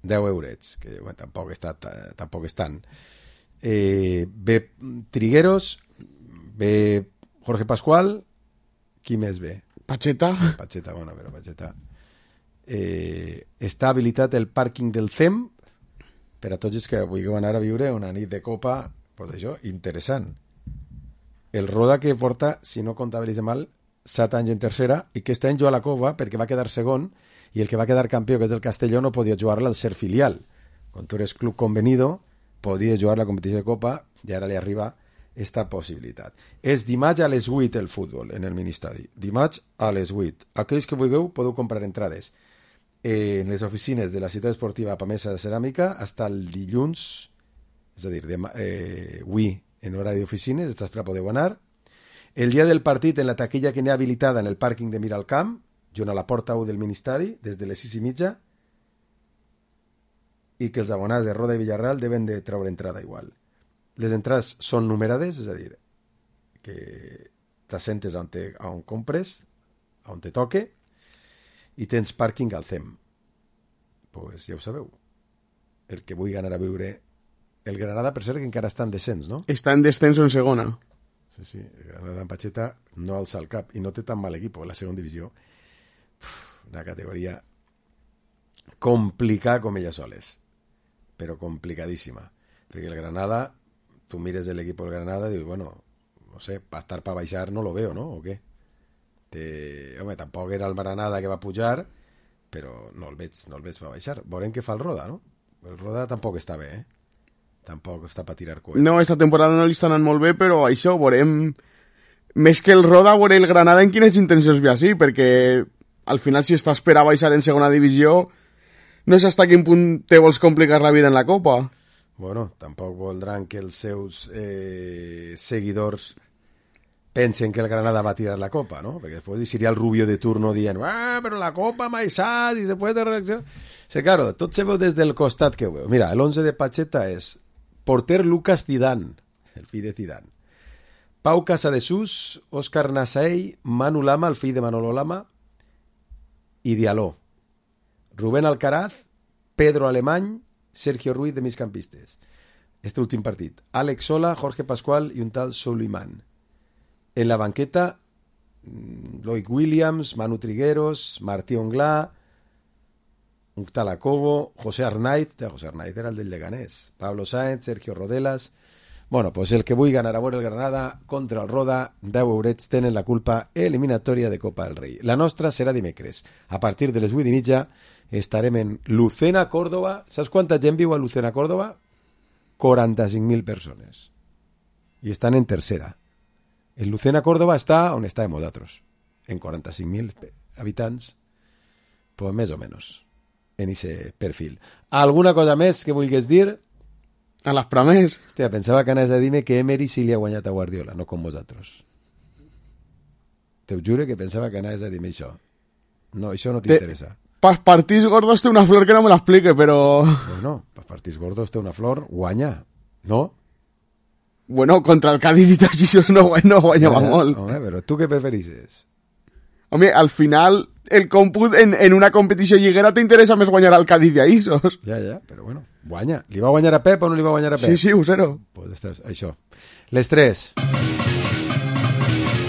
D: 10 eurets, que bueno, tampoc és tant. Ve Trigueros, ve Jorge Pascual Qui més ve?
E: Pacheta.
D: Pacheta, bueno, però Pacheta. Està habilitat el pàrquing del CEM per a tots els que vulgueu anar a viure una nit de copa, pues això, interessant. El Roda que porta, si no comptabilitza mal, 7 anys en tercera, i que aquest any juga a la Cova perquè va quedar segon, i el que va quedar campió, que és el Castelló, no podia jugar-la al ser filial. Quan tu eres club convenido, podies jugar la competició de Copa, i ara li arriba esta possibilitat. És dimarts a les 8 el futbol en el Ministadi. Dimarts a les 8. Aquells que vulgueu podeu comprar entrades en les oficines de la ciutat esportiva Pamesa de Ceràmica hasta el dilluns, és a dir, avui en horari d'oficines, després podeu anar. El dia del partit, en la taquilla que n'hi ha habilitada en el pàrquing de Miralcamp, junt a la porta 1 del Ministadi, des de les 6:30, i que els abonats de Roda i Villarreal deben de treure entrada igual. Les entrades són numerades, és a dir, que t'assentes on compres, on te toque, i tens pàrquing al CEM. Pues ja ho sabeu. El que vulgui anar a viure... El Granada, per cert, que encara està en descens, no?
E: Està en descenso en segona.
D: Sí, el Granada en Pacheta no alça el cap i no té tan mal equip, la segona divisió. Una categoria complicada com ella soles, però complicadíssima. Perquè el Granada, tu mires l'equip del Granada i dius, bueno, no sé, para estar para baixar no lo veo, ¿no? ¿O qué? Home, tampoc era el Granada que va pujar, però no el veig per baixar. Veurem què fa el Roda, no? El Roda tampoc està bé, Tampoc està per tirar coets.
E: No, esta temporada no li està anant molt bé, però això, veurem... Més que el Roda, veurem el Granada en quines intencions ve així, perquè al final si estàs per a baixar en segona divisió, no sé hasta quin punt te vols complicar la vida en la Copa.
D: Bueno, tampoc voldran que els seus seguidors pensen que el Granada va a tirar la Copa, ¿no? Perquè després seria el Rubio de turno dient però la Copa m'ha deixat i després de reacció... Sí, claro, tot se veu des del costat que ho veu. Mira, l'11 de Pacheta és porter Lucas Zidane, el fill de Zidane. Pau Casadesús, Òscar Nasaell, Manu Lama, el fill de Manolo Lama, i Dialó. Rubén Alcaraz, Pedro Alemany, Sergio Ruiz de migcampistes. Este últim partit. Àlex Sola, Jorge Pascual i un tal Soliman. En la banqueta, Loic Williams, Manu Trigueros, Martí Onglà, un tal Acobo, José Arnaiz era el del Leganés, Pablo Sáenz, Sergio Rodelas... Bueno, pues el que vulgui anar a veure el Granada contra el Roda, 10 eurets tenen la culpa eliminatòria de Copa del Rei. La nostra serà dimecres. A partir de les 8:30 estarem en Lucena, Córdoba. Saps quanta gent viu a Lucena, Córdoba? 45.000 persones. I estan en tercera. En Lucena, Córdoba està on estàvem nosaltres. En 45.000 habitants, pues més o menys, en ese perfil. Alguna cosa més que vulguis dir?
E: A les Pramés.
D: Hòstia, pensava que anaves a dir-me que Emery sí li ha guanyat a Guardiola, no com vosaltres. Te ho jure que pensava que anaves a dir-me això. No, això no t'interessa.
E: Pels partits gordos té una flor que no me l'explique, però...
D: Bueno, pels partits gordos té una flor, guanya, no?
E: Bueno, contra el Cádiz i tots això no guanyava molt.
D: Home, però tu què preferisses?
E: Home, al final, el còmput en una competició lliguera t'interessa més guanyar al Cádiz i a Isos.
D: Ja, però bueno, guanya. Li va guanyar a Pep o no li va guanyar a Pep?
E: Sí, 1-0.
D: Pues estàs, això. Les 3.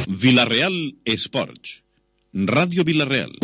C: Villarreal Esports. Ràdio Villarreal.